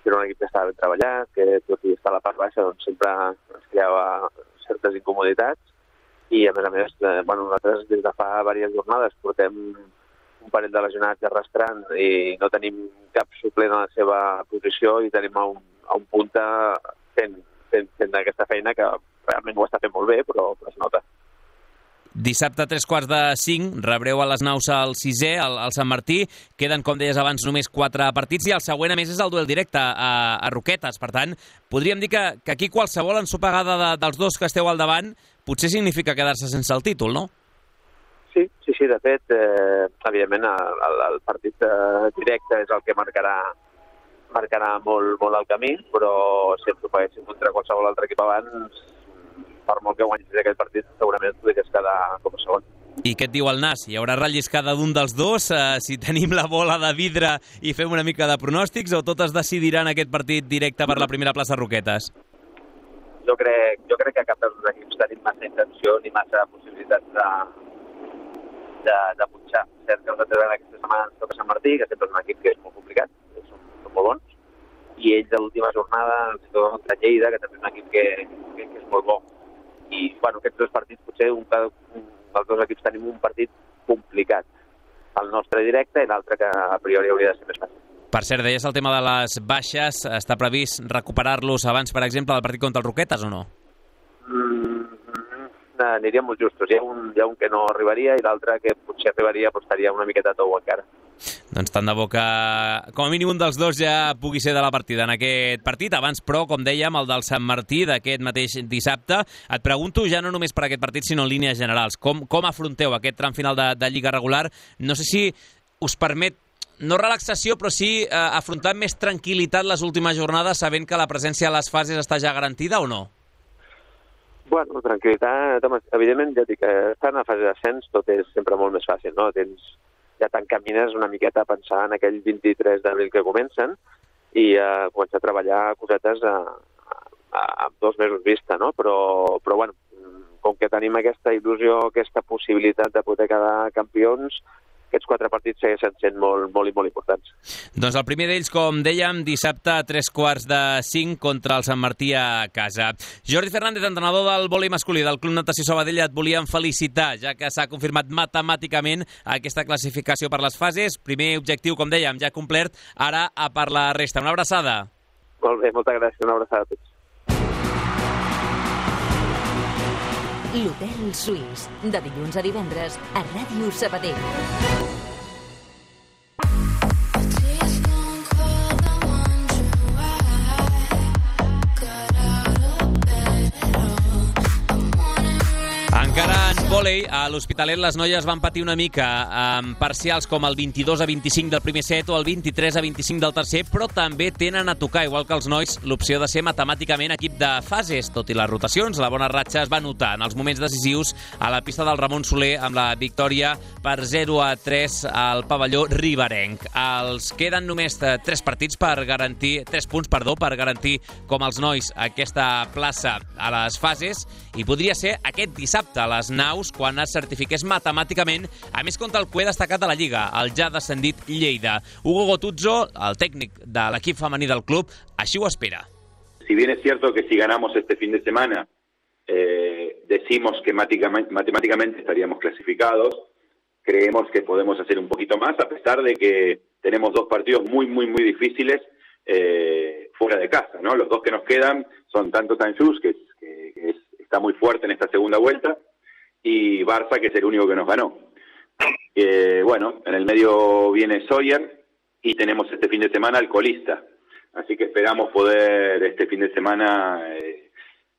S15: que era un equip que estava ben treballat, que tot i estar a la part baixa doncs sempre es creava certes incomoditats i, a més a més, eh, bueno, nosaltres des de fa diverses jornades portem un parell de lesionats arrastrant i no tenim cap suplent a la seva posició i tenim a un, a un punta fent, fent, fent aquesta feina que realment ho està fent molt bé, però, però es nota.
S1: Dissabte a tres quarts de cinc rebreu a les naus al sisè, al, al Sant Martí. Queden, com deies abans, només quatre partits i el següent, a més, és el duel directe a, a Roquetes. Per tant, podríem dir que, que aquí qualsevol ensopegada de, dels dos que esteu al davant potser significa quedar-se sense el títol, no?
S15: Sí, sí, sí, de fet, eh, evidentment el, el, el partit eh, directe és el que marcarà, marcarà molt, molt el camí, però si ens ho paguéssim contra qualsevol altre equip abans, per molt que guanyis aquest partit, segurament podries quedar com a segon.
S1: I què et diu el Nas? Hi haurà relliscada d'un dels dos? Eh, si tenim la bola de vidre i fem una mica de pronòstics, o tot es decidirà en aquest partit directe per la primera plaça Roquetes?
S15: Jo crec, jo crec que cap dels dos equips tenim massa intenció ni massa possibilitats de de, de punxar. Cert que nosaltres en aquesta setmana ens toca Sant Martí, que sempre és un equip que és molt complicat, que són, són molt bons, i ells a l'última jornada ens toca contra Lleida, que també és un equip que, que, que és molt bo. I, bueno, aquests dos partits, potser un, un dels dos equips tenim un partit complicat. El nostre directe i l'altre que a priori hauria de ser més fàcil.
S1: Per cert, deies el tema de les baixes, està previst recuperar-los abans, per exemple, del partit contra el Roquetes o no?
S15: Mm, aniríem molt justos. Hi ha, un, hi ha un que no arribaria i l'altre que potser arribaria però estaria una miqueta tou encara.
S1: Doncs tant de bo que com a mínim un dels dos ja pugui ser de la partida en aquest partit. Abans, però, com dèiem, el del Sant Martí d'aquest mateix dissabte. Et pregunto ja no només per aquest partit, sinó en línies generals. Com, com afronteu aquest tram final de, de Lliga regular? No sé si us permet no relaxació, però sí eh, afrontar amb més tranquil·litat les últimes jornades, sabent que la presència a les fases està ja garantida o no?
S15: Bueno, tranquil·litat, evidentment, ja dic, estar en la fase d'ascens tot és sempre molt més fàcil, no? Tens, ja t'encamines una miqueta a pensar en aquell vint-i-tres d'abril que comencen i a uh, començar a treballar cosetes a, a, a, a dos mesos vista, no? Però, però, bueno, com que tenim aquesta il·lusió, aquesta possibilitat de poder quedar campions, aquests quatre partits segueixen sent molt, molt i molt importants.
S1: Doncs el primer d'ells, com dèiem, dissabte a tres quarts de cinc contra el Sant Martí a casa. Jordi Fernández, entrenador del vòlei masculí del Club Natació Sabadell, et volíem felicitar, ja que s'ha confirmat matemàticament aquesta classificació per les fases. Primer objectiu, com dèiem, ja complert, ara a per la resta. Una abraçada.
S15: Molt bé, moltes gràcies, una abraçada a tots.
S3: L'Hotel Suís, de dilluns a divendres a Ràdio Sabadell.
S1: Encara en vòlei, a l'Hospitalet les noies van patir una mica amb parcials com el vint-i-dos a vint-i-cinc del primer set o el vint-i-tres a vint-i-cinc del tercer, però també tenen a tocar, igual que els nois, l'opció de ser matemàticament equip de fases. Tot i les rotacions, la bona ratxa es va notar en els moments decisius a la pista del Ramon Soler amb la victòria per zero a tres al pavelló riberenc. Els queden només tres partits per garantir, tres punts, perdó, per garantir com els nois aquesta plaça a les fases i podria ser aquest dissabte a les naus quan es certifiqués matemàticament, a més contra el que he destacat de la Lliga, el ja descendit Lleida. Hugo Gotuzzo, el tècnic de l'equip femení del club, així ho espera.
S16: Si bien es cierto que si ganamos este fin de semana eh, decimos que matemáticamente estaríamos clasificados, creemos que podemos hacer un poquito más, a pesar de que tenemos dos partidos muy, muy, muy difíciles eh, fuera de casa, ¿no? Los dos que nos quedan son tanto Sanjus, que, que, que es, está muy fuerte en esta segunda vuelta, y Barça, que es el único que nos ganó. Eh, bueno, en el medio viene Sawyer y tenemos este fin de semana al colista. Así que esperamos poder este fin de semana eh,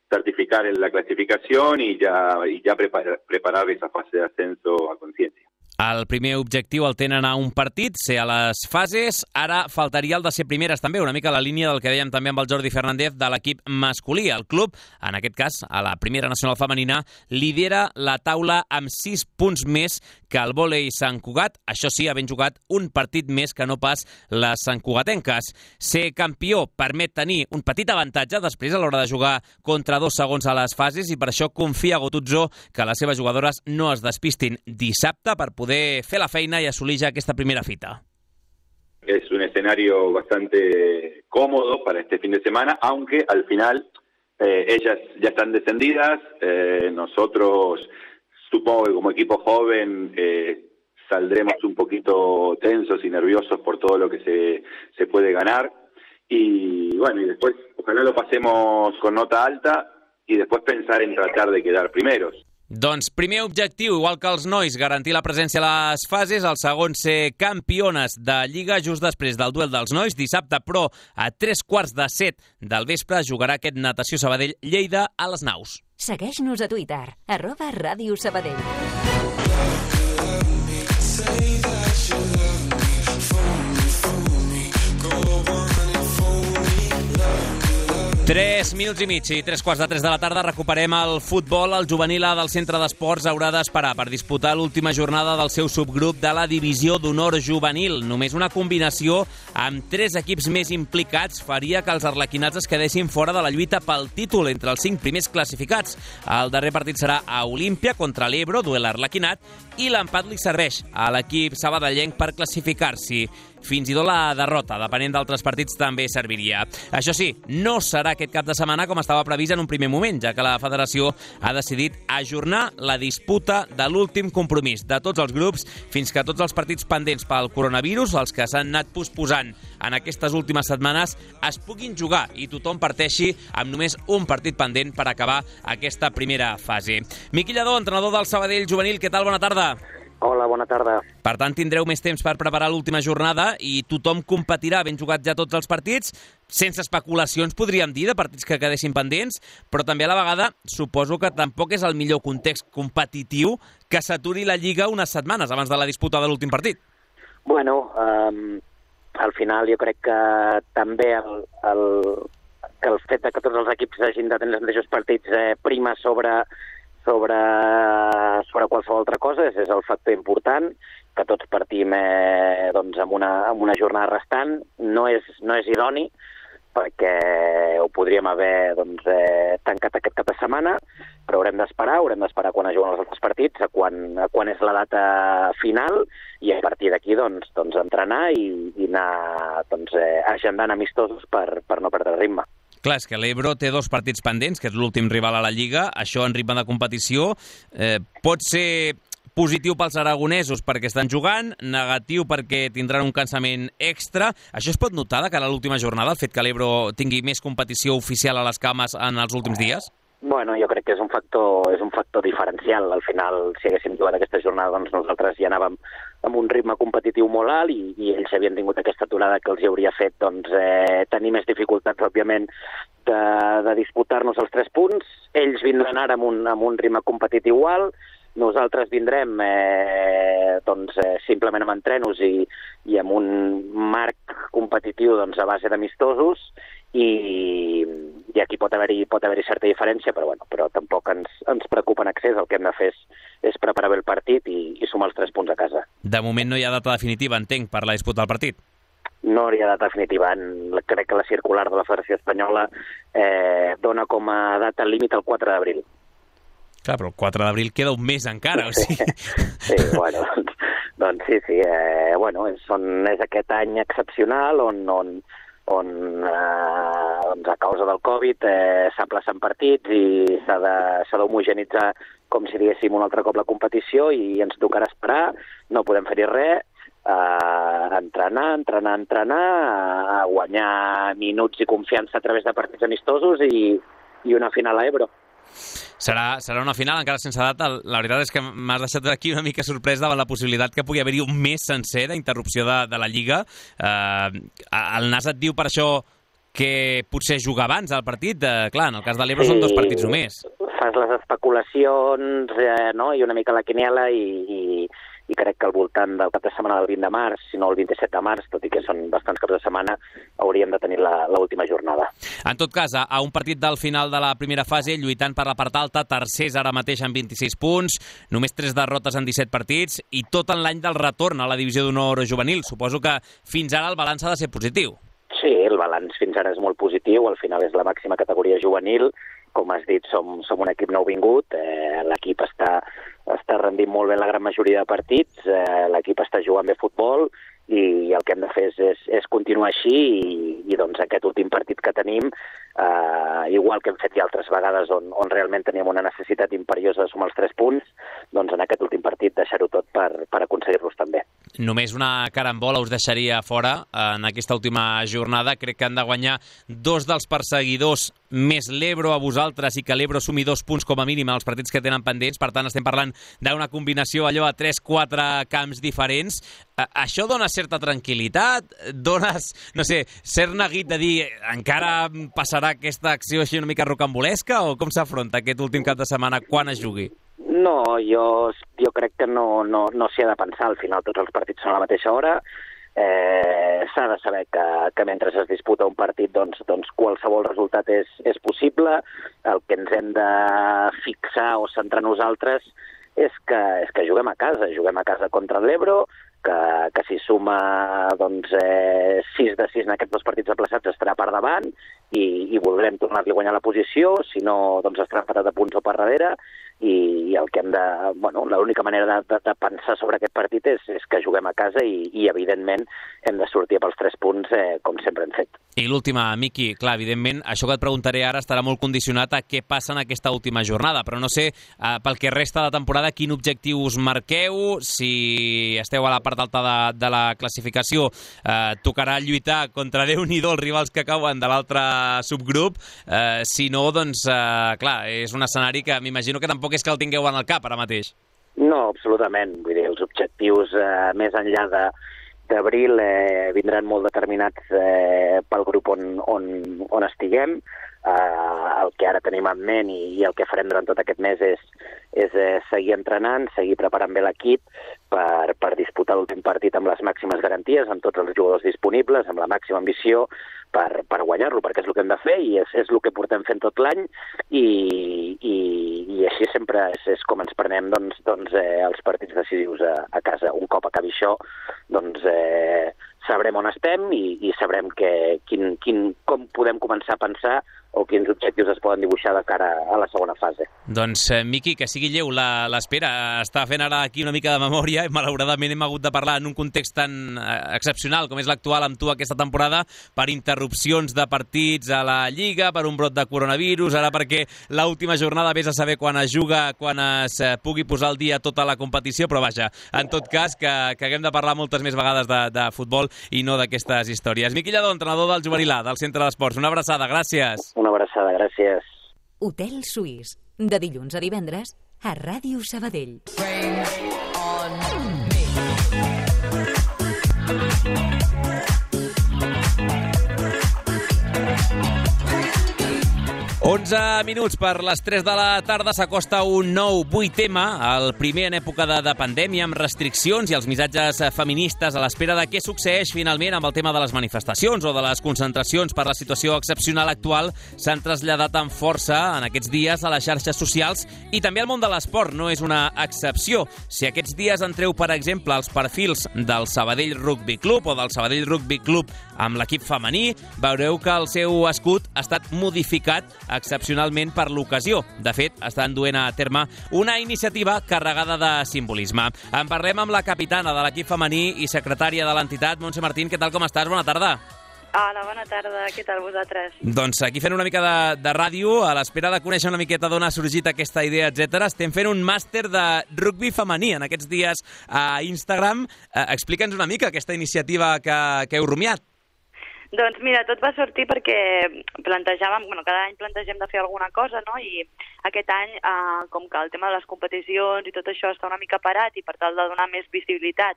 S16: certificar la clasificación y ya, y ya preparar, preparar esa fase de ascenso a conciencia.
S1: El primer objectiu el tenen a un partit, ser a les fases. Ara faltaria el de ser primeres també, una mica la línia del que dèiem també amb el Jordi Fernández de l'equip masculí. El club, en aquest cas, a la primera nacional femenina, lidera la taula amb sis punts més que el vòlei Sant Cugat. Això sí, havent jugat un partit més que no pas les santcugatenques. Ser campió permet tenir un petit avantatge després a l'hora de jugar contra dos segons a les fases i per això confia Gotuzzo que les seves jugadores no es despistin dissabte per poder fer la feina y assolir ya aquesta primera fita.
S16: Es un escenario bastante cómodo para este fin de semana, aunque al final eh, ellas ya están descendidas. Eh, nosotros, supongo que como equipo joven, eh, saldremos un poquito tensos y nerviosos por todo lo que se, se puede ganar. Y bueno, y después ojalá lo pasemos con nota alta y después pensar en tratar de quedar primeros.
S1: Doncs primer objectiu, igual que els nois, garantir la presència a les fases, el segon ser campiones de Lliga just després del duel dels nois. Dissabte, però, a tres quarts de set del vespre, jugarà aquest Natació Sabadell Lleida a les Naus.
S3: Segueix-nos a Twitter, arroba Ràdio Sabadell.
S1: Tres minuts i mig i tres quarts de tres de la tarda recuperem el futbol. El juvenil A del Centre d'Esports haurà d'esperar per disputar l'última jornada del seu subgrup de la Divisió d'Honor Juvenil. Només una combinació amb tres equips més implicats faria que els arlequinats es quedessin fora de la lluita pel títol entre els cinc primers classificats. El darrer partit serà a Olímpia contra l'Ebro, duel arlequinat, i l'empat li serveix a l'equip sabadellenc per classificar-s'hi. Fins i tot la derrota, depenent d'altres partits, també serviria. Això sí, no serà aquest cap de setmana com estava previst en un primer moment, ja que la federació ha decidit ajornar la disputa de l'últim compromís de tots els grups fins que tots els partits pendents pel coronavirus, els que s'han anat posposant en aquestes últimes setmanes, es puguin jugar i tothom parteixi amb només un partit pendent per acabar aquesta primera fase. Miqui Lladó, entrenador del Sabadell Juvenil, què tal? Bona tarda.
S17: Hola, bona tarda.
S1: Per tant, tindreu més temps per preparar l'última jornada i tothom competirà, ben jugat ja tots els partits, sense especulacions, podríem dir, de partits que quedessin pendents, però també a la vegada suposo que tampoc és el millor context competitiu que s'aturi la Lliga unes setmanes abans de la disputa de l'últim partit.
S17: Bueno, um, al final jo crec que també el, el, que el fet que tots els equips hagin de tenir els mateixos partits eh, prima sobre... Sobre, sobre qualsevol altra cosa, és, és el factor important, que tots partim eh, doncs, amb, una, amb una jornada restant. No és, no és idoni, perquè ho podríem haver doncs, eh, tancat aquest cap de setmana, però haurem d'esperar, haurem d'esperar quan es juguen els altres partits, a quan, a quan és la data final, i a partir d'aquí doncs, doncs, entrenar i, i anar doncs, eh, agendant amistosos per, per no perdre ritme.
S1: Clar, és que l'Ebro té dos partits pendents, que és l'últim rival a la Lliga. Això en ritme de competició eh, pot ser positiu pels aragonesos perquè estan jugant, negatiu perquè tindran un cansament extra. Això es pot notar de cara a l'última jornada, el fet que l'Ebro tingui més competició oficial a les cames en els últims dies?
S17: Bueno, jo crec que és un factor, és un factor diferencial. Al final, si haguéssim jugat aquesta jornada, doncs nosaltres ja anàvem amb un ritme competitiu molt alt i, i ells havien tingut aquesta aturada que els hauria fet doncs, eh, tenir més dificultats, òbviament, de, de disputar-nos els tres punts. Ells vindran ara amb un, amb un ritme competitiu alt, nosaltres vindrem eh, doncs, eh, simplement amb entrenos i, i amb un marc competitiu doncs, a base d'amistosos i, i aquí pot haver-hi pot haver-hi certa diferència, però, bueno, però tampoc ens, ens preocupa en excés. El que hem de fer és, és preparar bé el partit i, i sumar els tres punts a casa.
S1: De moment no hi ha data definitiva, entenc, per la disputa del partit?
S17: No hi ha data definitiva. Crec que la circular de la Federació Espanyola eh, dona com a data límit el quatre d'abril.
S1: Clar, però el quatre d'abril queda un mes encara, o sigui...
S17: Sí, bueno, doncs, doncs sí, sí. Eh, bueno, és, on, és aquest any excepcional on, on, on eh, doncs a causa del Covid eh, s'aplacen partits i s'ha d'homogenitzar com si diguéssim un altre cop la competició i ens tocarà esperar, no podem fer-hi res, eh, entrenar, entrenar, entrenar, a guanyar minuts i confiança a través de partits amistosos i, i una final a Ebro.
S1: Serà, serà una final encara sense data. La veritat és que m'has deixat aquí una mica sorprès davant la possibilitat que pugui haver-hi un mes sencer d'interrupció de, de la Lliga. Eh, el Nas et diu per això que potser juga abans el partit. Eh, clar, en el cas de l'Ebro sí, són dos partits només.
S17: Fas les especulacions eh, no? i una mica la quiniela i, i, i crec que al voltant del cap de setmana del vint de març, si no el vint-i-set de març, tot i que són bastants caps de setmana, hauríem de tenir l'última jornada.
S1: En tot cas, a un partit del final de la primera fase, lluitant per la part alta, tercers ara mateix amb vint-i-sis punts, només tres derrotes en disset partits i tot en l'any del retorn a la divisió d'honor juvenil. Suposo que fins ara el balanç ha de ser positiu.
S17: Sí, el balanç fins ara és molt positiu, al final és la màxima categoria juvenil, com has dit, som, som un equip nouvingut, eh, l'equip està, està rendint molt bé la gran majoria de partits, eh, l'equip està jugant bé futbol i el que hem de fer és, és, és continuar així i, i doncs aquest últim partit que tenim, eh, igual que hem fet ja altres vegades on, on realment teníem una necessitat imperiosa de sumar els tres punts, doncs en aquest últim partit deixar-ho tot per, per aconseguir-los també.
S1: Només una carambola us deixaria fora en aquesta última jornada. Crec que han de guanyar dos dels perseguidors més l'Ebro a vosaltres i que l'Ebro sumi dos punts com a mínim en els partits que tenen pendents. Per tant, estem parlant d'una combinació allò a tres quatre camps diferents. Això dona certa tranquil·litat? Dones, no sé, cert neguit de dir encara passarà aquesta acció així una mica rocambolesca o com s'afronta aquest últim cap de setmana quan es jugui?
S17: No, jo, jo crec que no, no, no s'hi ha de pensar. Al final tots els partits són a la mateixa hora. Eh, s'ha de saber que, que mentre es disputa un partit doncs, doncs qualsevol resultat és, és possible. El que ens hem de fixar o centrar nosaltres és que, és que juguem a casa. Juguem a casa contra l'Ebro, que, que si suma doncs, eh, sis de sis en aquests dos partits aplaçats estarà per davant i, i voldrem tornar-li a guanyar la posició, si no doncs estarà empatat a punts o per darrere i, i el que hem de, bueno, l'única manera de, de, de pensar sobre aquest partit és, és que juguem a casa i, i evidentment hem de sortir pels tres punts eh, com sempre hem fet.
S1: I l'última, Miqui, clar, evidentment això que et preguntaré ara estarà molt condicionat a què passa en aquesta última jornada, però no sé, eh, pel que resta de temporada, quin objectiu us marqueu, si esteu a la part alta de, de la classificació, eh, tocarà lluitar contra Déu-n'hi-do els rivals que cauen de l'altre subgrup, eh, si no, doncs, eh, clar, és un escenari que m'imagino que tampoc és que el tingueu en el cap ara mateix.
S17: No, absolutament, vull dir, els objectius eh, més enllà de d'abril eh, vindran molt determinats eh, pel grup on, on, on estiguem. Eh, el que ara tenim en ment i, i el que farem durant tot aquest mes és, és eh, seguir entrenant, seguir preparant bé l'equip per, per disputar l'últim partit amb les màximes garanties, amb tots els jugadors disponibles, amb la màxima ambició per, per guanyar-lo, perquè és el que hem de fer i és, és el que portem fent tot l'any i, i, i així sempre és, és com ens prenem doncs, doncs, eh, els partits decisius a, a casa. Un cop acabi això, doncs eh, sabrem on estem i, i sabrem que, quin, quin, com podem començar a pensar o quins objectius es poden dibuixar de cara a la segona fase.
S1: Doncs, eh, Miqui, que sigui lleu l'espera. Està fent ara aquí una mica de memòria i malauradament hem hagut de parlar en un context tan eh, excepcional com és l'actual amb tu aquesta temporada per interrupcions de partits a la Lliga, per un brot de coronavirus, ara perquè l'última jornada vés a saber quan es juga, quan es eh, pugui posar al dia tota la competició, però vaja, en tot cas, que, que haguem de parlar moltes més vegades de, de futbol i no d'aquestes històries. Miqui Lladó, entrenador del Juvenil A, del Centre d'Esports. Una abraçada, gràcies.
S17: Una abraçada, gràcies.
S3: Hotel Suís, de dilluns a divendres, a Ràdio Sabadell.
S1: onze minuts per les tres de la tarda, s'acosta un nou vuit ema, el primer en època de, de pandèmia, amb restriccions i els missatges feministes a l'espera de què succeeix finalment amb el tema de les manifestacions o de les concentracions per la situació excepcional actual s'han traslladat amb força en aquests dies a les xarxes socials i també al món de l'esport no és una excepció. Si aquests dies entreu, per exemple, els perfils del Sabadell Rugby Club o del Sabadell Rugby Club amb l'equip femení, veureu que el seu escut ha estat modificat excepcionalment per l'ocasió. De fet, estan duent a terme una iniciativa carregada de simbolisme. En parlem amb la capitana de l'equip femení i secretària de l'entitat, Montse Martín. Què tal, com estàs? Bona tarda.
S18: Hola, bona tarda. Què tal vosaltres?
S1: Doncs aquí fent una mica de, de ràdio, a l'espera de conèixer una miqueta d'on ha sorgit aquesta idea, etcètera. Estem fent un màster de rugby femení en aquests dies a Instagram. Eh, Explica'ns una mica aquesta iniciativa que, que heu rumiat.
S18: Doncs mira, tot va sortir perquè plantejàvem, bueno, cada any plantegem de fer alguna cosa, no? I aquest any, eh, com que el tema de les competicions i tot això està una mica parat i per tal de donar més visibilitat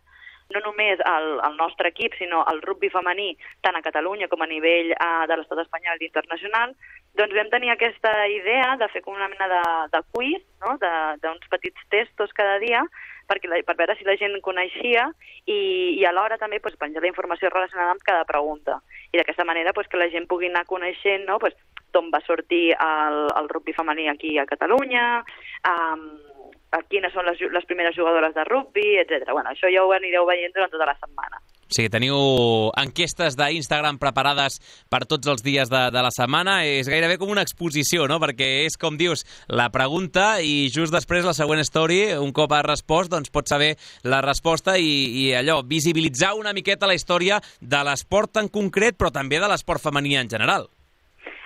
S18: no només al, al nostre equip, sinó al rugby femení, tant a Catalunya com a nivell uh, de l'estat espanyol i internacional, doncs vam tenir aquesta idea de fer com una mena de, de quiz, no? d'uns petits testos cada dia, perquè la, per veure si la gent coneixia i, i alhora també pues, penjar la informació relacionada amb cada pregunta. I d'aquesta manera pues, que la gent pugui anar coneixent, no? pues, d'on va sortir el, el rugby femení aquí a Catalunya, um, quines són les, les primeres jugadores de rugby, etcètera. Bueno, això ja ho anireu veient durant tota la setmana.
S1: O sigui, teniu enquestes d'Instagram preparades per tots els dies de, de la setmana. És gairebé com una exposició, no? Perquè és, com dius, la pregunta i just després la següent story, un cop has respost, doncs pots saber la resposta i, i allò, visibilitzar una miqueta la història de l'esport en concret, però també de l'esport femení en general.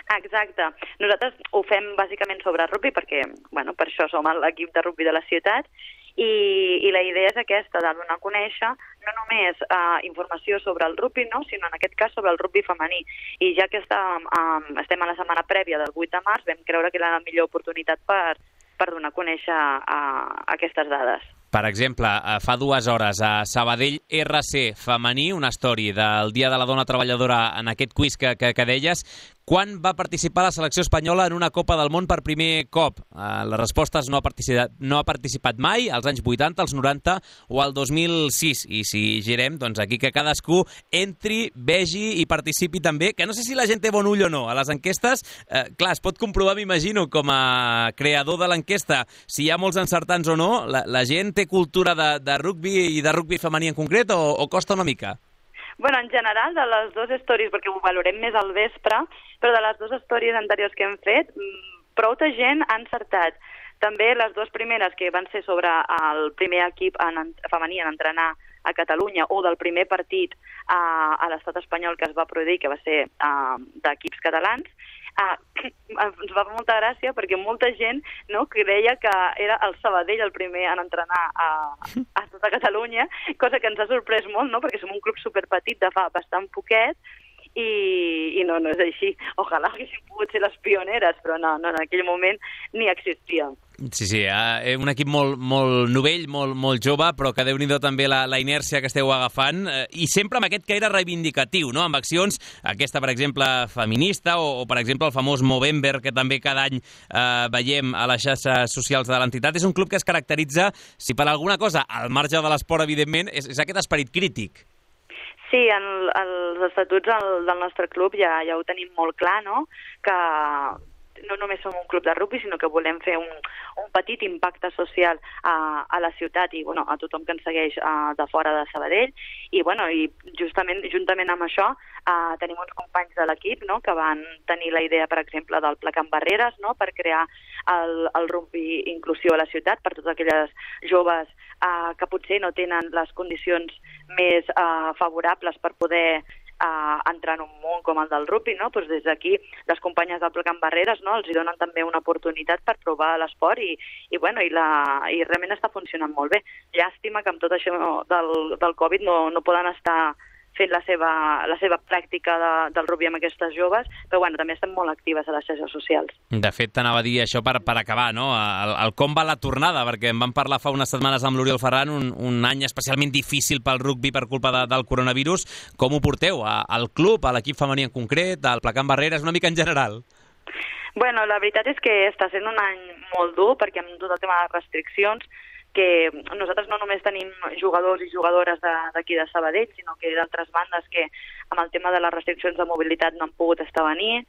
S18: Exacte. Nosaltres ho fem bàsicament sobre rugby perquè, bueno, per això som l'equip de rugby de la ciutat i, i la idea és aquesta, de donar a conèixer no només uh, informació sobre el rugby, no, sinó en aquest cas sobre el rugby femení. I ja que estem, um, estem a la setmana prèvia del vuit de març, vam creure que era la millor oportunitat per, per donar a conèixer uh, aquestes dades.
S1: Per exemple, fa dues hores a Sabadell R C femení, una story del Dia de la Dona Treballadora en aquest quiz que, que, que deies. Quan va participar la selecció espanyola en una Copa del Món per primer cop? Uh, les respostes no ha, participat, no ha participat mai, als anys vuitanta, als noranta o al dos mil sis. I si girem, doncs aquí que cadascú entri, vegi i participi també, que no sé si la gent té bon ull o no. A les enquestes, eh, clar, es pot comprovar, m'imagino, com a creador de l'enquesta, si hi ha molts encertants o no. La, la gent té cultura de, de rugby i de rugby femení en concret o, o costa una mica?
S18: Bueno, en general, de les dues stories, perquè ho valorem més al vespre, però de les dues stories anteriors que hem fet, prou de gent ha encertat. També les dues primeres, que van ser sobre el primer equip en, femení en entrenar a Catalunya o del primer partit a, a l'estat espanyol que es va produir, que va ser uh, d'equips catalans, uh, ens va fer molta gràcia perquè molta gent, no, creia que era el Sabadell el primer en entrenar a, a tota Catalunya, cosa que ens ha sorprès molt, no, perquè som un club superpetit de fa bastant poquet, i, i no, no és així. Ojalà haguéssim pogut ser les pioneres, però no, no en aquell moment ni existia.
S1: Sí, sí, eh, un equip molt, molt novell, molt, molt jove, però que déu-n'hi-do també la, la inèrcia que esteu agafant, eh, i sempre amb aquest caire reivindicatiu, no? Amb accions, aquesta, per exemple, feminista, o, o per exemple, el famós Movember, que també cada any eh, veiem a les xarxes socials de l'entitat. És un club que es caracteritza, si per alguna cosa, al marge de l'esport, evidentment, és, és aquest esperit crític.
S18: Sí, en els estatuts del, del nostre club ja, ja ho tenim molt clar, no?, que no només som un club de rugby, sinó que volem fer un, un petit impacte social a, a la ciutat i bueno, a tothom que ens segueix uh, de fora de Sabadell. I, bueno, i justament, juntament amb això uh, tenim uns companys de l'equip, no?, que van tenir la idea, per exemple, del Pla Can Barreres, no?, per crear el, el rugby inclusiu a la ciutat per totes aquelles joves uh, que potser no tenen les condicions més uh, favorables per poder a entrar en un món com el del rugby, no? Pues des d'aquí les companyes del Pla Can Barreres, no?, els hi donen també una oportunitat per provar l'esport i, i, bueno, i, la, i realment està funcionant molt bé. Llàstima que amb tot això del, del Covid no, no poden estar fent la seva, la seva pràctica de, del rugby amb aquestes joves, però bueno, també estem molt actives a les xarxes socials.
S1: De fet, t'anava a dir això per, per acabar, no? El, el com va la tornada, perquè em van parlar fa unes setmanes amb l'Oriol Ferran, un, un any especialment difícil pel rugby per culpa de, del coronavirus. Com ho porteu? A, al club, a l'equip femení en concret, al Pla Can Barreres, una mica en general?
S18: Bueno, la veritat és que està sent un any molt dur, perquè amb tot el tema de restriccions, que nosaltres no només tenim jugadors i jugadores d'aquí de, de Sabadell, sinó que d'altres bandes que amb el tema de les restriccions de mobilitat no han pogut estar a venir.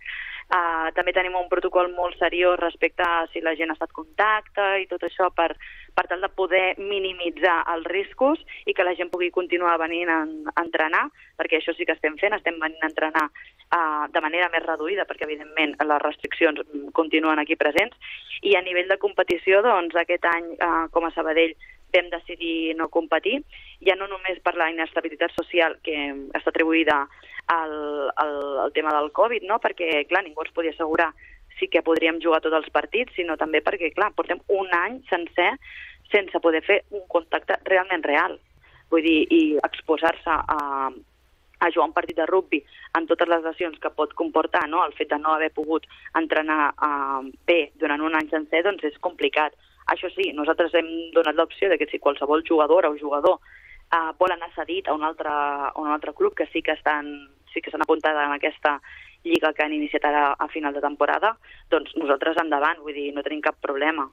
S18: Uh, també tenim un protocol molt seriós respecte a si la gent ha estat contacte i tot això per, per tal de poder minimitzar els riscos i que la gent pugui continuar venint a, a entrenar, perquè això sí que estem fent, estem venint a entrenar uh, de manera més reduïda, perquè evidentment les restriccions continuen aquí presents. I a nivell de competició, doncs aquest any uh, com a Sabadell vam decidir no competir, ja no només per la inestabilitat social que està atribuïda el, el, el tema del Covid, no? Perquè, clar, ningú ens podia assegurar sí que podríem jugar tots els partits, sinó també perquè, clar, portem un any sencer sense poder fer un contacte realment real. Vull dir, i exposar-se a, a jugar un partit de rugbi amb totes les lesions que pot comportar, no? El fet de no haver pogut entrenar uh, bé durant un any sencer, doncs és complicat. Això sí, nosaltres hem donat l'opció de que si qualsevol jugadora o jugador uh, vol anar cedit a un altre, a un altre club que sí que estan, sí que s'han apuntat en aquesta lliga que han iniciat ara a final de temporada, doncs nosaltres endavant, vull dir, no tenim cap problema.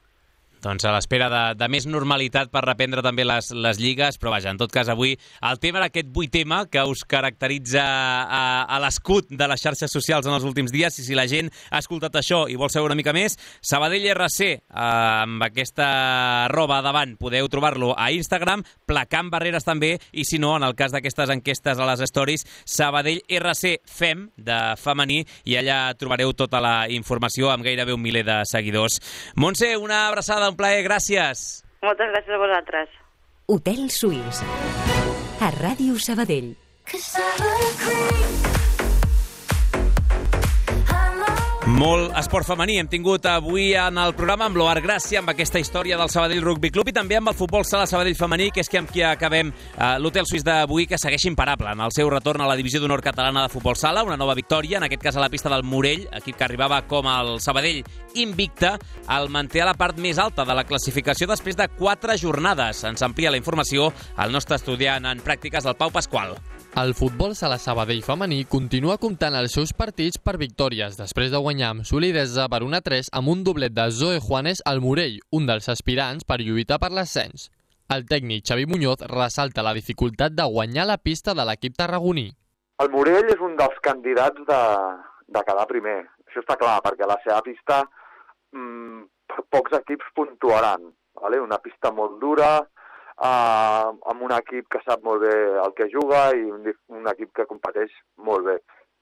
S1: Doncs a l'espera de, de més normalitat per reprendre també les, les lligues, però vaja, en tot cas avui el tema era aquest vuit tema que us caracteritza a, a l'escut de les xarxes socials en els últims dies, i si la gent ha escoltat això i vol saber una mica més, Sabadell R C, eh, amb aquesta roba davant, podeu trobar-lo a Instagram, placant barreres també, i si no, en el cas d'aquestes enquestes a les stories, Sabadell R C Fem, de femení, i allà trobareu tota la informació amb gairebé un miler de seguidors. Montse, una abraçada, un plaer, gràcies.
S18: Moltes gràcies a vosaltres.
S3: Hotel Suís, a Ràdio Sabadell.
S1: Molt esport femení hem tingut avui en el programa amb l'Oar Gràcia, amb aquesta història del Sabadell Rugby Club, i també amb el futbol sala Sabadell femení, que és que amb qui acabem eh, l'Hotel Suís d'avui, que segueix imparable en el seu retorn a la divisió d'honor catalana de futbol sala, una nova victòria, en aquest cas a la pista del Morell, equip que arribava com el Sabadell invicte, el manté a la part més alta de la classificació després de quatre jornades. Ens amplia la informació el nostre estudiant en pràctiques, el Pau Pasqual.
S19: El futbol sala Sabadell femení continua comptant els seus partits per victòries, després de guanyar amb solidesa per un a tres amb un doblet de Zoe Juanes al Morell, un dels aspirants per lluitar per l'ascens. El tècnic Xavi Muñoz ressalta la dificultat de guanyar la pista de l'equip tarragoní.
S20: El Morell és un dels candidats de, de quedar primer, això està clar, perquè a la seva pista mmm, pocs equips puntuaran, vale? Una pista molt dura, Uh, amb un equip que sap molt bé el que juga i un, un equip que competeix molt bé.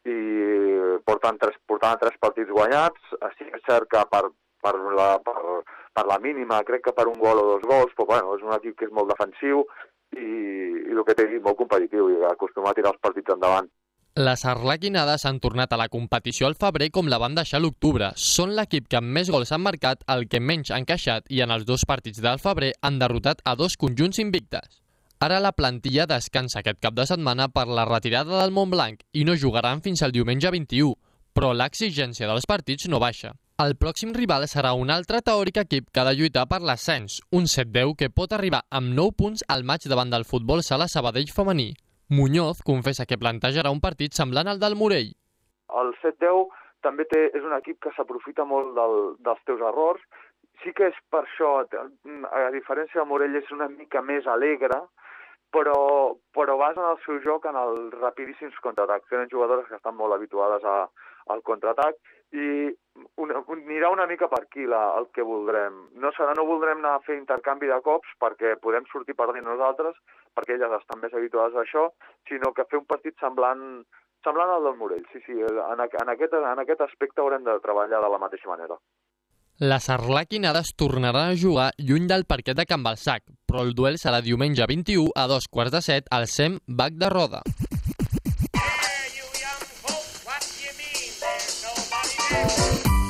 S20: I portant tres, portant tres partits guanyats, sí que és cert que per, per, la, per, per la mínima, crec que per un gol o dos gols, però bueno, és un equip que és molt defensiu i, i el que té molt competitiu i acostumat a tirar els partits endavant.
S19: Les arlequinades han tornat a la competició al febrer com la van deixar a l'octubre. Són l'equip que amb més gols han marcat, el que menys han encaixat, i en els dos partits del febrer han derrotat a dos conjunts invictes. Ara la plantilla descansa aquest cap de setmana per la retirada del Montblanc i no jugaran fins al diumenge vint-i-u, però l'exigència dels partits no baixa. El pròxim rival serà un altre teòric equip que ha de lluitar per l'ascens, un set deu que pot arribar amb nou punts al maig davant del futbol sala Sabadell femení. Muñoz confessa que plantejarà un partit semblant al del Morell.
S20: El set deu també té, és un equip que s'aprofita molt del, dels teus errors. Sí que és per això, a diferència del Morell, és una mica més alegre, però, però basen el seu joc en els rapidíssims contraatacs. Tenen jugadores que estan molt habituades a, al contraatac i una, anirà una mica per aquí la, el que voldrem. No serà, no voldrem anar a fer intercanvi de cops perquè podem sortir perdent nosaltres, perquè elles estan més habituades a això, sinó que fer un partit semblant, semblant al del Morell. Sí, sí, en, en, aquest, en aquest aspecte haurem de treballar de la mateixa manera.
S19: Les arlequinades tornaran a jugar lluny del parquet de Can Balsac, però el duel serà diumenge vint-i-u a dos quarts de set al S E M Bac de Roda.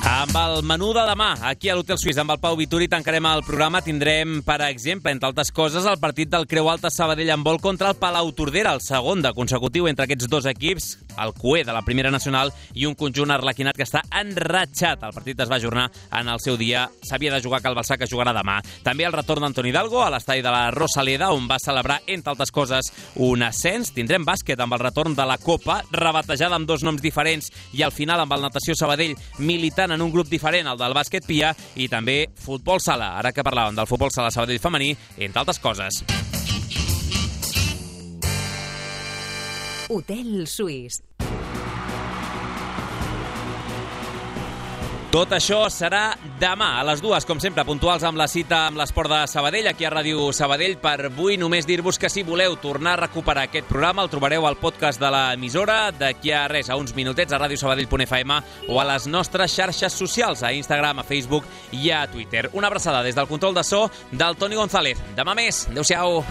S1: Amb el menú de demà, aquí a l'Hotel Suís, amb el Pau Vituri, tancarem el programa. Tindrem, per exemple, entre altres coses, el partit del Creu Alta Sabadell en vol contra el Palau Tordera, el segon de consecutiu entre aquests dos equips, el cué de la Primera Nacional i un conjunt arlequinat que està enratxat. El partit es va ajornar en el seu dia. S'havia de jugar a Cal Balsac, que jugarà demà. També el retorn d'Antoni Hidalgo a l'estadi de la Rosaleda, on va celebrar, entre altres coses, un ascens. Tindrem bàsquet amb el retorn de la Copa, rebatejada amb dos noms diferents, i al final amb el Natació Sabadell militant en un grup diferent, el del bàsquet Pia, i també futbol sala, ara que parlàvem del futbol sala Sabadell femení, entre altres coses.
S3: Hotel Suís.
S1: Tot això serà demà a les dues, com sempre, puntuals amb la cita amb l'esport de Sabadell, aquí a Ràdio Sabadell. Per avui només dir-vos que si voleu tornar a recuperar aquest programa el trobareu al podcast de l'emissora d'aquí a res, a uns minutets, a radiosabadell punt f m o a les nostres xarxes socials, a Instagram, a Facebook i a Twitter. Una abraçada des del control de so del Toni González. Demà més. Adéu-siau.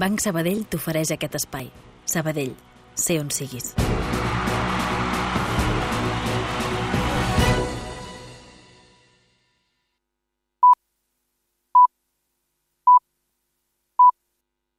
S2: Banc Sabadell t'ofereix aquest espai. Sabadell, sé on siguis.